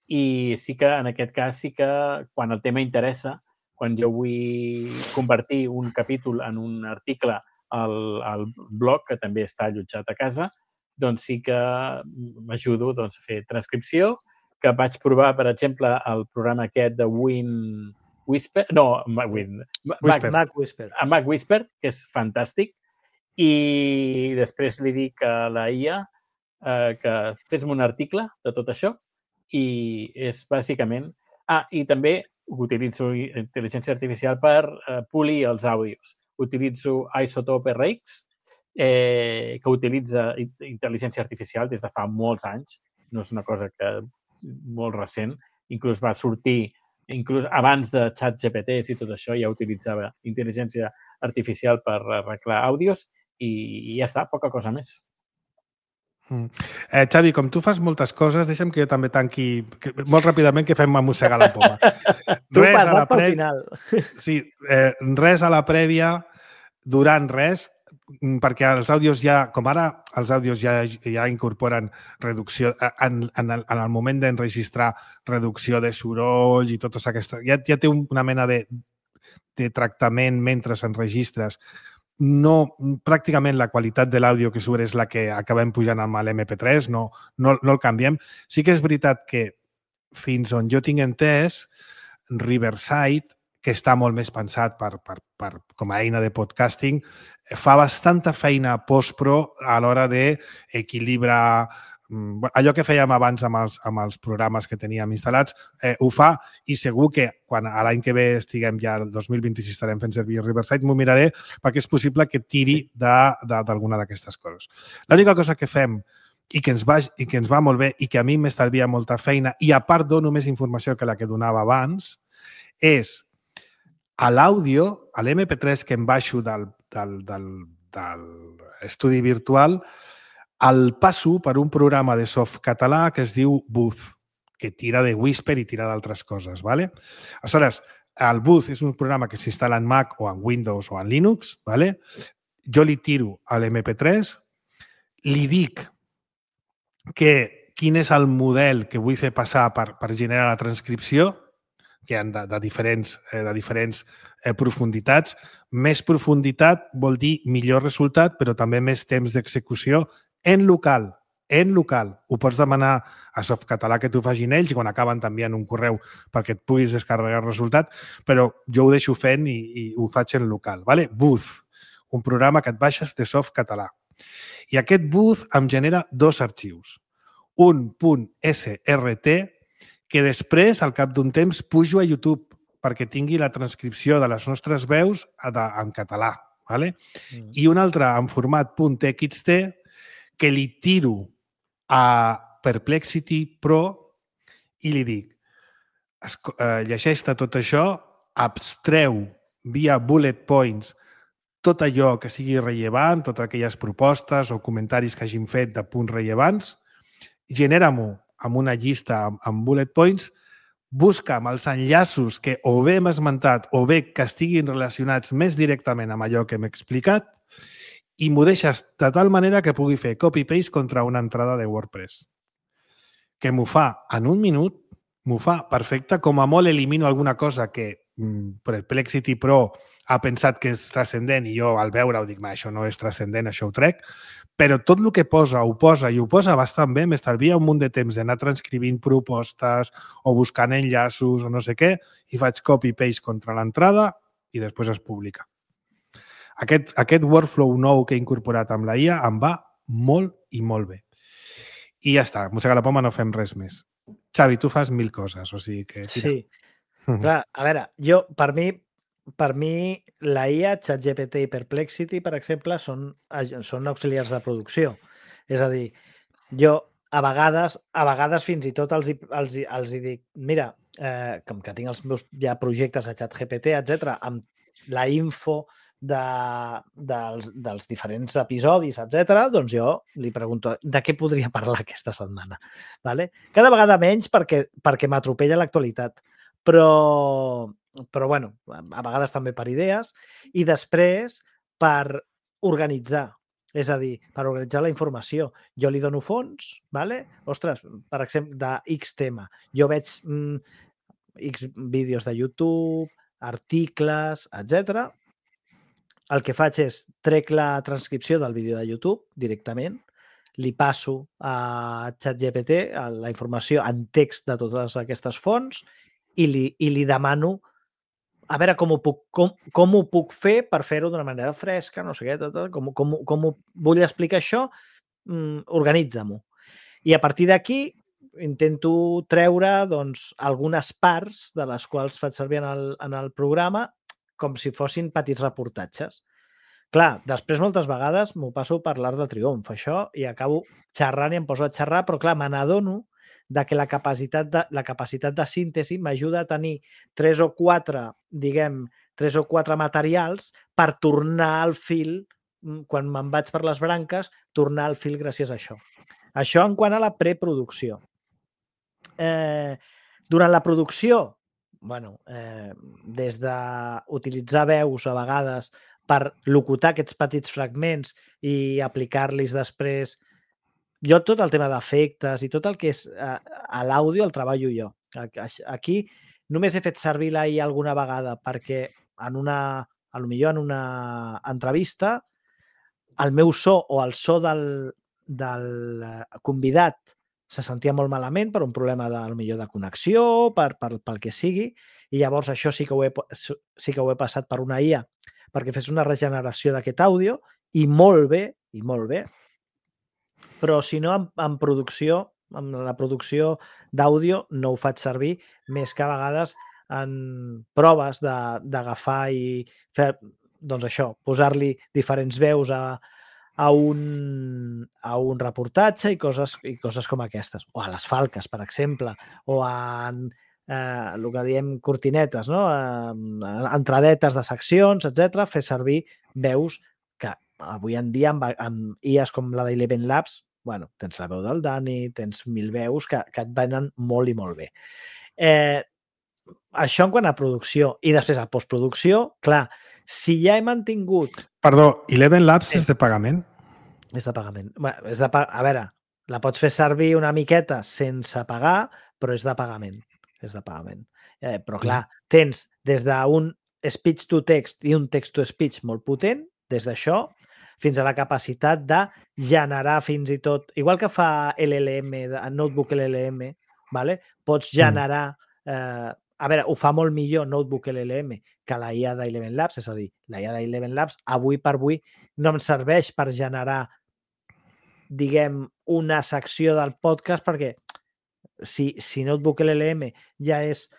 i sí que en aquest cas sí que quan el tema interessa, quan jo vull convertir un capítol en un article al blog, que també està allotjat a casa, doncs sí que m'ajudo a fer transcripció, que vaig provar, per exemple, el programa aquest de Mac Whisper, que és fantàstic. I després li dic a la IA que fes-me un article de tot això i és bàsicament... i també utilitzo intel·ligència artificial per polir els àudios. Utilitzo Isotope RX que utilitza intel·ligència artificial des de fa molts anys. No és una cosa molt recent. Inclús va sortir, inclús abans de ChatGPT i tot això, ja utilitzava intel·ligència artificial per arreglar àudios i ja està, poca cosa més. Xavi, com tu fas moltes coses, deixa'm que jo també tanqui molt ràpidament, que fem mossegar la poma. Tu passat pel final. Sí, res a la prèvia, durant res, perquè els àudios ja, com ara els àudios ja incorporen reducció, en el moment d'enregistrar reducció de soroll i totes aquestes... Ja té una mena de tractament mentre s'enregistres. No, pràcticament la qualitat de l'àudio que surt és la que acabem pujant amb l'MP3, no el canviem. Sí que és veritat que fins on jo tinc entès, Riverside, que està molt més pensat com a eina de podcasting, fa bastanta feina post-pro a l'hora d'equilibrar allò que fèiem abans amb els programes que teníem instal·lats, ho fa, i segur que quan a l'any que ve estiguem ja, el 2026, estarem fent servir Riverside, m'ho miraré perquè és possible que tiri d'alguna d'aquestes coses. L'única cosa que fem i que ens va molt bé i que a mi m'estalvia molta feina, i a part dono més informació que la que donava abans, és a l'àudio, a l'MP3 que em baixo del estudi virtual, el passo per un programa de softcatalà que es diu Booth, que tira de Whisper i tira d'altres coses. ¿Vale? Aleshores, el Booth és un programa que s'instal·la en Mac o en Windows o en Linux. ¿Vale? Jo li tiro a l'MP3, li dic quin és el model que vull fer passar per generar la transcripció, que hi ha de diferents profunditats. Més profunditat vol dir millor resultat, però també més temps d'execució en local. En local. Ho pots demanar a Softcatalà que t'ho facin ells i quan acaben t'envien un correu perquè et puguis descarregar el resultat, però jo ho deixo fent i ho faig en local. ¿Vale? Booth, un programa que et baixes de Softcatalà. I aquest Booth em genera dos arxius. Un .srt que després, al cap d'un temps, pujo a YouTube perquè tingui la transcripció de les nostres veus en català. ¿Vale? I un altre en format .txt que li tiro a Perplexity Pro i li dic, llegeix-te tot això, abstreu via bullet points tot allò que sigui rellevant, totes aquelles propostes o comentaris que hagin fet de punts rellevants, genera-m'ho amb una llista amb bullet points, busca'm els enllaços que o bé hem esmentat o bé que estiguin relacionats més directament amb allò que m'he explicat i m'ho deixes de tal manera que pugui fer copy-paste contra una entrada de WordPress. Que m'ho fa en un minut, m'ho fa perfecte, com a molt elimino alguna cosa que Perplexity Pro ha pensat que és transcendent i jo al veure-ho dic, això no és transcendent, això ho trec, però tot el que posa, ho posa bastant bé, m'estalvia un munt de temps d'anar transcrivint propostes o buscant enllaços o no sé què, i faig copy-paste contra l'entrada i després es publica. Aquest workflow nou que he incorporat amb la IA em va molt i molt bé. I ja està, mossegar la poma, no fem res més. Xavi, tu fas 1000 coses, o sigui que... Sí. Clar, a veure, per mi la IA, ChatGPT i Perplexity, per exemple, són auxiliars de producció. És a dir, jo a vegades fins i tot els hi dic, mira, com que tinc els meus ja projectes a ChatGPT, etc, amb la info dels diferents episodis, etc, doncs jo li pregunto de què podria parlar aquesta setmana. ¿Vale? Cada vegada menys perquè m'atropella l'actualitat. Però bueno, a vegades també per idees i després per organitzar. És a dir, per organitzar la informació. Jo li dono fons, ¿vale? Ostres, per exemple, de X tema. Jo veig X vídeos de YouTube, articles, etc. El que faig és trec la transcripció del vídeo de YouTube directament, li passo a ChatGPT la informació en text de totes aquestes fonts i li demano a veure com ho puc fer per fer-ho d'una manera fresca, no sé què, com vull explicar això, organitza-m'ho. I a partir d'aquí intento treure doncs, algunes parts de les quals faig servir en el programa com si fossin petits reportatges. Clar, després moltes vegades m'ho passo per l'art de triomf, això, i acabo xerrant i em poso a xerrar, però clar, me n'adono que la capacitat de síntesi m'ajuda a tenir 3 o 4 materials per tornar al fil, quan me'n vaig per les branques, tornar al fil gràcies a això. Això en quant a la preproducció. Durant la producció, des d'utilitzar veus a vegades per locutar aquests petits fragments i aplicar-los després. Jo tot el tema d'efectes i tot el que és a l'àudio el treballo jo. Aquí només he fet servir l'AI alguna vegada perquè potser en una entrevista el meu so o el so del convidat se sentia molt malament per un problema de connexió, pel que sigui, i llavors això sí que ho he passat per una IA perquè fes una regeneració d'aquest àudio, i molt bé, però si no, en producció, en la producció d'àudio no ho faig servir, més que a vegades en proves d'agafar i fer, doncs això, posar-li diferents veus a un reportatge i coses com aquestes. O a les falques, per exemple, o a el que diem cortinetes, no? Entradetes de seccions, etc. Fer servir veus que avui en dia amb IAs com la d'Eleven Labs, tens la veu del Dani, tens 1000 veus que et venen molt i molt bé. Això en quant a producció. I després a postproducció, clar, si ja he mantingut... Perdó, Eleven Labs és de pagament? És de pagament. A veure, la pots fer servir una miqueta sense pagar, però és de pagament. Però clar, tens des d'un speech to text i un text to speech molt potent, des d'això, fins a la capacitat de generar fins i tot, igual que fa LLM, Notebook LLM, pots generar... A veure, ho fa molt millor Notebook LLM que la IA d'Eleven Labs, és a dir, la IA d'Eleven Labs avui per avui no em serveix per generar, diguem, una secció del podcast, perquè si Notebook LLM ja és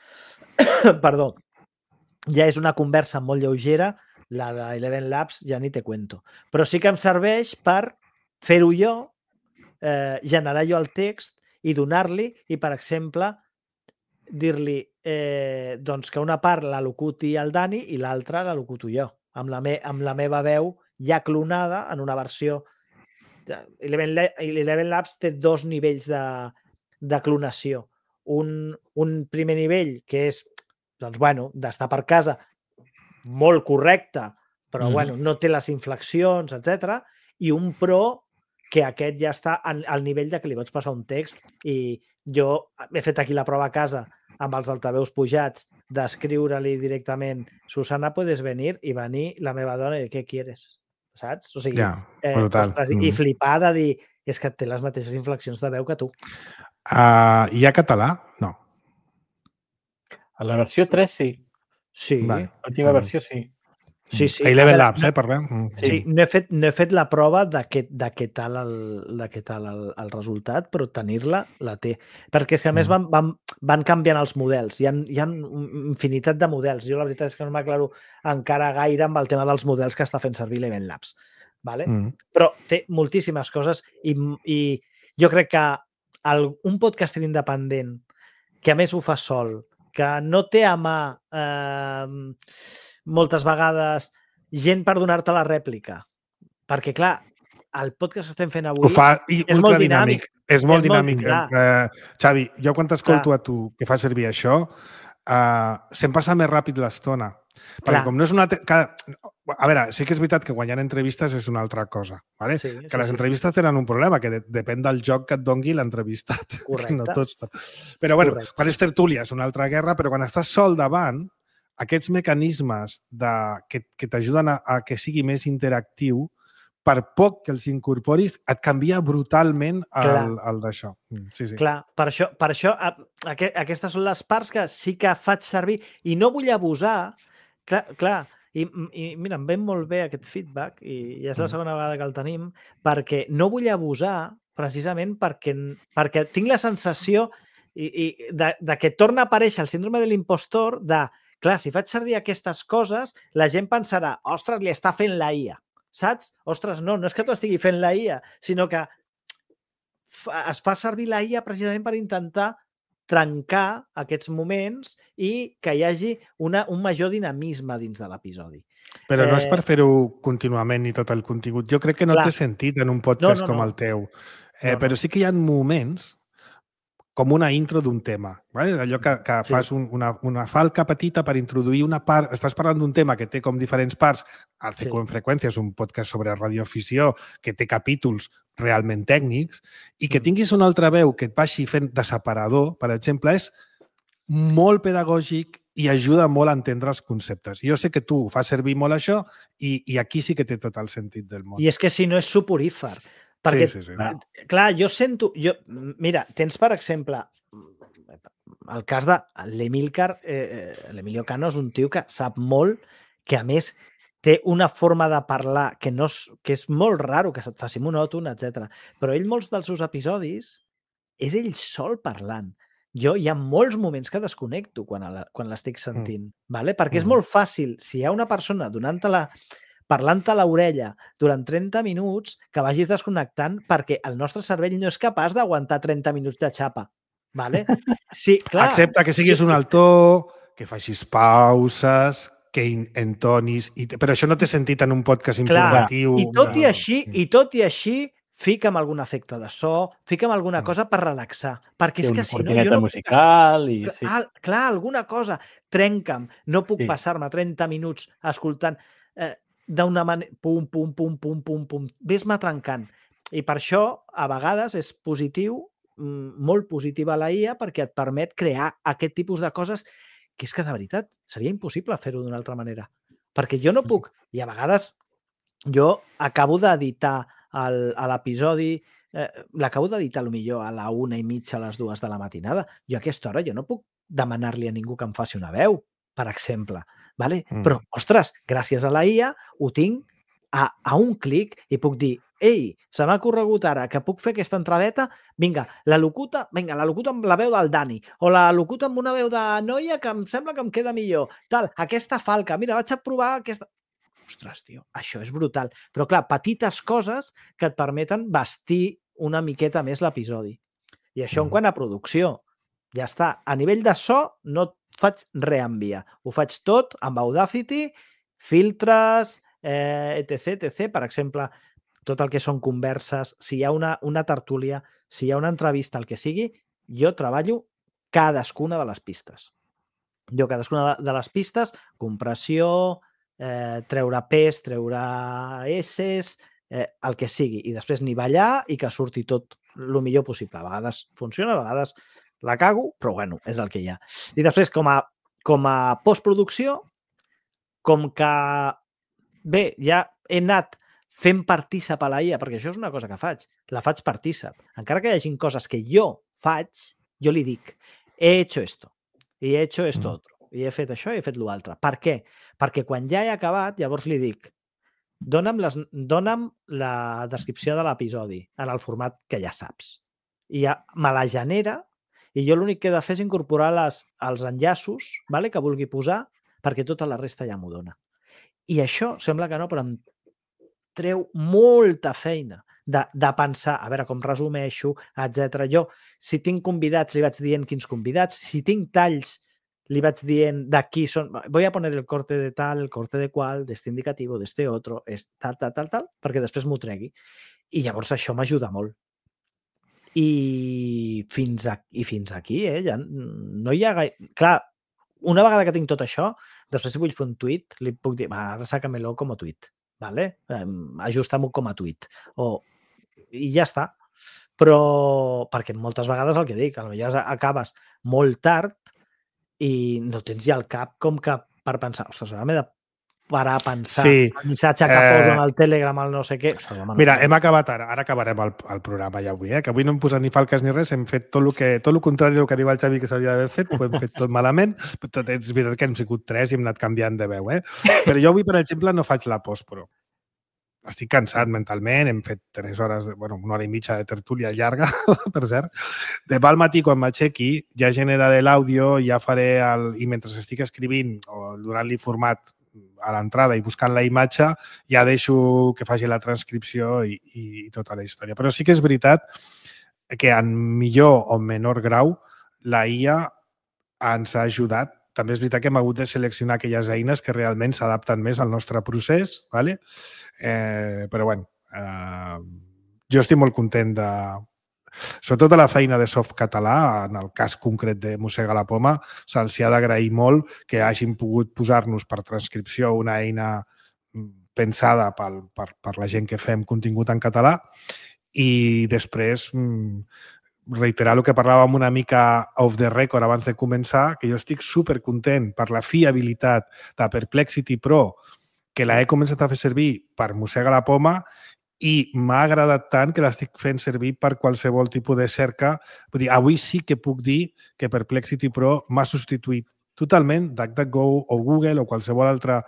perdó, ja és una conversa molt lleugera, la d'Eleven Labs ja ni te cuento. Però sí que em serveix per fer-ho jo, generar jo el text i donar-li, i per exemple dir-li doncs que una part la locuti el Dani i l'altra la locuto jo, amb la meva veu ja clonada en una versió. Eleven Labs té 2 nivells de clonació. Un primer nivell que és d'estar per casa molt correcte, però no té les inflexions, etc. I un pro que aquest ja està al nivell de que li pots passar un text, i jo he fet aquí la prova a casa amb els altaveus pujats d'escriure-li directament Susana, puedes venir, i venir la meva dona i dir, què quieres? Saps? O sigui, i flipar de dir, és que té les mateixes inflexions de veu que tu. Hi ha català? No. A la versió 3 sí. Sí. L'última versió sí. Sí. A Eleven Labs, parlem. Sí, no he fet la prova de què tal el resultat, però tenir-la, la té. Perquè és que a més van canviant els models. Hi ha infinitat de models. Jo la veritat és que no m'aclaro encara gaire amb el tema dels models que està fent servir Eleven Labs. Però té moltíssimes coses, i jo crec que un podcaster independent que a més ho fa sol, que no té a mà moltes vegades gent per donar-te la rèplica, perquè clar, el podcast que estem fent avui és molt dinàmic. És molt dinàmic. Xavi, jo quan t'escolto a tu que fas servir això, se'm passa més ràpid l'estona. Perquè com no és una... A veure, sí que és veritat que guanyar entrevistes és una altra cosa. Que les entrevistes tenen un problema, que depèn del joc que et dongui l'entrevistat. Correcte. Però bueno, quan és tertúlia és una altra guerra, però quan estàs sol davant, aquests mecanismes que t'ajuden a que sigui més interactiu, per poc que els incorporis, et canvia brutalment el d'això. Clar, per això aquestes són les parts que sí que faig servir, i no vull abusar. Clar, i mira, em ve molt bé aquest feedback, i ja és la segona vegada que el tenim, perquè no vull abusar precisament perquè tinc la sensació de que torna a aparèixer el síndrome de l'impostor de, clar, si faig servir aquestes coses, la gent pensarà, ostres, li està fent la IA, saps? Ostres, no és que t'ho estigui fent la IA, sinó que es fa servir la IA precisament per intentar trencar aquests moments i que hi hagi un major dinamisme dins de l'episodi. Però no és per fer-ho contínuament ni tot el contingut. Jo crec que no té sentit en un podcast com el teu. Però sí que hi ha moments com una intro d'un tema. Allò que fas una falca petita per introduir una part. Estàs parlant d'un tema que té com diferents parts. El CQ en freqüència és un podcast sobre radioafició que té capítols realment tècnics i que tinguis una altra veu que et vagi fent de separador, per exemple, és molt pedagògic i ajuda molt a entendre els conceptes. Jo sé que tu fas servir molt això i aquí sí que té tot el sentit del món. I és que si no és suporífer. Perquè, sí. Clar, jo sento... Mira, tens, per exemple, el cas de l'Emilcar, l'Emilio Cano és un tio que sap molt, que a més té una forma de parlar que és molt raro, que se't faci monòton, etc. Però ell, molts dels seus episodis, és ell sol parlant. Jo hi ha molts moments que desconnecto quan l'estic sentint, ¿vale? Perquè és molt fàcil, si hi ha una persona parlant-te a l'orella durant 30 minuts, que vagis desconnectant perquè el nostre cervell no és capaç d'aguantar 30 minuts de xapa. ¿Vale? Sí, clar. Excepte que siguis un altó, que facis pauses, que entonis... Però això no té sentit en un podcast informatiu. I tot i així, fica'm algun efecte de so, fica'm alguna cosa per relaxar. Perquè és que si no... Una musical i... Clar, alguna cosa. Trenca'm. No puc passar-me 30 minuts escoltant d'una manera... Pum, pum, pum, pum, pum, pum. Ves-me trencant. I per això, a vegades, és positiu, molt positiva la IA, perquè et permet crear aquest tipus de coses que és que, de veritat, seria impossible fer-ho d'una altra manera. Perquè jo no puc... I a vegades jo acabo d'editar l'episodi, l'acabo d'editar potser a la 1:30, a les 2 de la matinada. Jo a aquesta hora jo no puc demanar-li a ningú que em faci una veu, per exemple. ¿Vale? Però, ostres, gràcies a la IA ho tinc a un clic i puc dir ei, se m'ha corregut ara que puc fer aquesta entradeta, vinga, la locuta amb la veu del Dani, o la locuta amb una veu de noia que em sembla que em queda millor, tal, aquesta falca, mira, vaig a provar aquesta... Ostres, tio, això és brutal. Però, clar, petites coses que et permeten vestir una miqueta més l'episodi. I això en quant a producció. Ja està. A nivell de so, no faig res amb IA. Ho faig tot amb Audacity, filtres, etc. Per exemple, tot el que són converses, si hi ha una tertúlia, si hi ha una entrevista, el que sigui, jo treballo cadascuna de les pistes. Cadascuna de les pistes, compressió, treure P's, treure S's, el que sigui, i després nivellar i que surti tot el millor possible. A vegades funciona, a vegades la cago, però bueno, és el que hi ha. I després, com a postproducció, com que bé, ja he anat fent partícip a la IA, perquè això és una cosa que faig, la faig partícip. Encara que hi hagi coses que jo faig, jo li dic, he hecho esto, i he hecho esto otro, i he fet això i he fet l'altre. Per què? Perquè quan ja he acabat, llavors li dic, dona'm la descripció de l'episodi en el format que ja saps. I ja me la genera i jo l'únic que he de fer és incorporar els enllaços que vulgui posar perquè tota la resta ja m'ho dona. I això sembla que no, però em treu molta feina de pensar, a veure com resumeixo, etc. Jo, si tinc convidats, li vaig dient quins convidats. Si tinc talls, li vaig dient d'aquí són... Voy a poner el corte de tal, el corte de qual, d'este indicativo, d'este otro, tal, perquè després m'ho tregui. I llavors això m'ajuda molt. I fins aquí, ja no hi ha gaire... Clar, una vegada que tinc tot això, després si vull fer un tuit, li puc dir, va, ara sácamelo com a tuit. ¿Vale? Ajusta-m'ho com a tuit. I ja està. Però, perquè moltes vegades el que dic, potser acabes molt tard i no tens ja el cap com que per pensar, ostres, ara m'he de parar a pensar el missatge que poso en el Telegram, el no sé què. Ostres, mira, hem acabat ara acabarem el programa ja avui, que avui no hem posat ni falques ni res, hem fet tot el contrari del que diu el Xavi que s'havia d'haver fet, ho hem fet tot malament, però és veritat que hem sigut 3 i hem anat canviant de veu, Però jo avui, per exemple, no faig la postpro. Estic cansat mentalment, hem fet 3 hores, una hora i mitja de tertúlia llarga, per cert. Demà al matí, quan m'aixequi, ja generaré l'àudio, ja faré i mentre estic escrivint o donant-li format a l'entrada i buscant la imatge, ja deixo que faci la transcripció i tota la història. Però sí que és veritat que en millor o menor grau la IA ens ha ajudat. També és veritat que hem hagut de seleccionar aquelles eines que realment s'adapten més al nostre procés, ¿vale? Però bueno, jo estic molt content de... Sobretot de la feina de Softcatalà, en el cas concret de Mossega la Poma, se'ls ha d'agrair molt que hagin pogut posar-nos per transcripció una eina pensada per la gent que fem contingut en català i després reiterar el que parlàvem una mica off the record abans de començar, que jo estic supercontent per la fiabilitat de Perplexity Pro, que la he començat a fer servir per Mossega la Poma i m'ha agradat tant que l'estic fent servir per qualsevol tipus de cerca. Vull dir, avui sí que puc dir que Perplexity Pro m'ha substituït totalment DuckDuckGo o Google o qualsevol altra,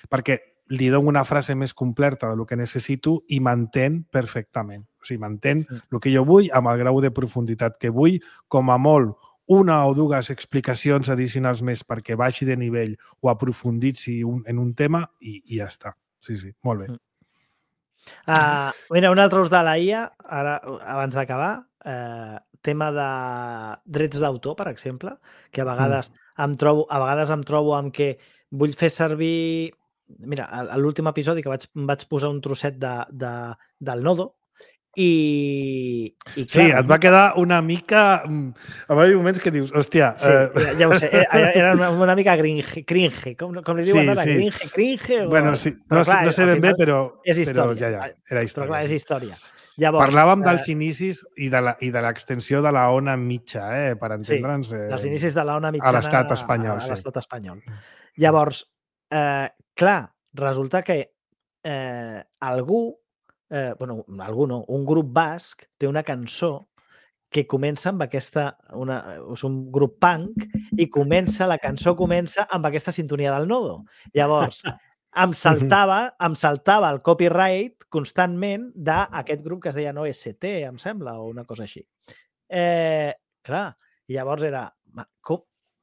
perquè li dono una frase més completa del que necessito i m'entén perfectament. O sigui, m'entén el que jo vull amb el grau de profunditat que vull, com a molt una o dues explicacions addicionals més perquè baixi de nivell o aprofunditzi en un tema i ja està. Sí, sí, molt bé. Mira, un altre ús de la IA, ara, abans d'acabar, tema de drets d'autor, per exemple, que a vegades em trobo amb que vull fer servir... Mira, a l'últim episodi que vaig posar un trosset del Nodo i clar, sí, et va quedar una mica... Va haver moments que dius, hòstia... Sí, ja ho sé, era una mica cringe, com li diuen ara, cringe... Bueno, sí, no sé ben bé, però ja, era història. Però clar, és història. Llavors, parlàvem dels inicis i de l'extensió de la ona mitja, per entendre'ns... Sí, dels inicis de la ona mitjana a l'estat espanyol. A l'estat espanyol. Llavors, clar, resulta que algú, un grup basc té una cançó que comença amb aquesta... És un grup punk i la cançó comença amb aquesta sintonia del Nodo. Llavors, em saltava el copyright constantment d'aquest grup que es deia OST, em sembla, o una cosa així. Clar, i llavors era...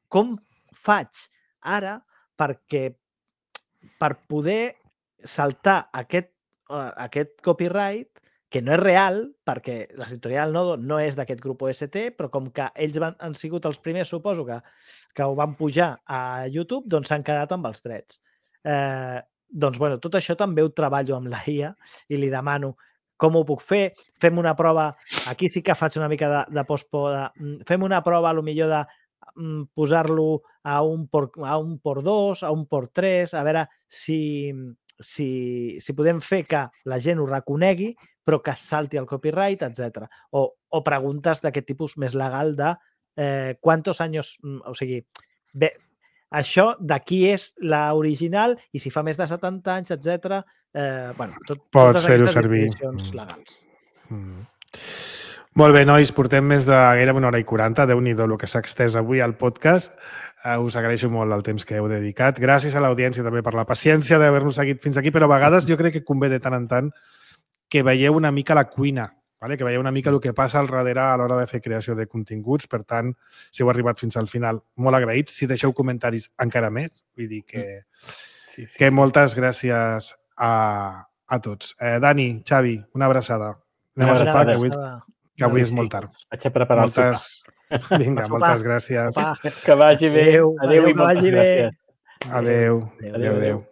Com faig ara per poder saltar aquest copyright, que no és real, perquè la sintonia del Nodo no és d'aquest grup OST, però com que ells han sigut els primers, suposo, que ho van pujar a YouTube, doncs s'han quedat amb els drets. Doncs, bueno, tot això també ho treballo amb la IA i li demano com ho puc fer. Fem una prova, aquí sí que faig una mica de post-poda, fem una prova potser de posar-lo a un port 2, a un port 3, a veure si podem fer que la gent ho reconegui, però que salti el copyright, etc. O preguntes d'aquest tipus més legal de quantos anys... O sigui, bé, això de qui és l'original i si fa més de 70 anys, etc. Pots fer-ho servir. Legals. Molt bé, nois, portem més de gairebé 1h40. Déu-n'hi-do el que s'ha extès avui al podcast. Us agraeixo molt el temps que heu dedicat. Gràcies a l'audiència també per la paciència d'haver-nos seguit fins aquí, però a vegades jo crec que convé de tant en tant que veieu una mica la cuina, que veieu una mica el que passa al darrere a l'hora de fer creació de continguts. Per tant, si heu arribat fins al final, molt agraïts. Si deixeu comentaris, encara més. Vull dir que moltes gràcies a tots. Dani, Xavi, una abraçada. Anem a sopar, que avui és molt tard. Vaig a preparar el sopar. Vinga, moltes gràcies. Que vagi bé. Adéu i moltes gràcies. Adéu.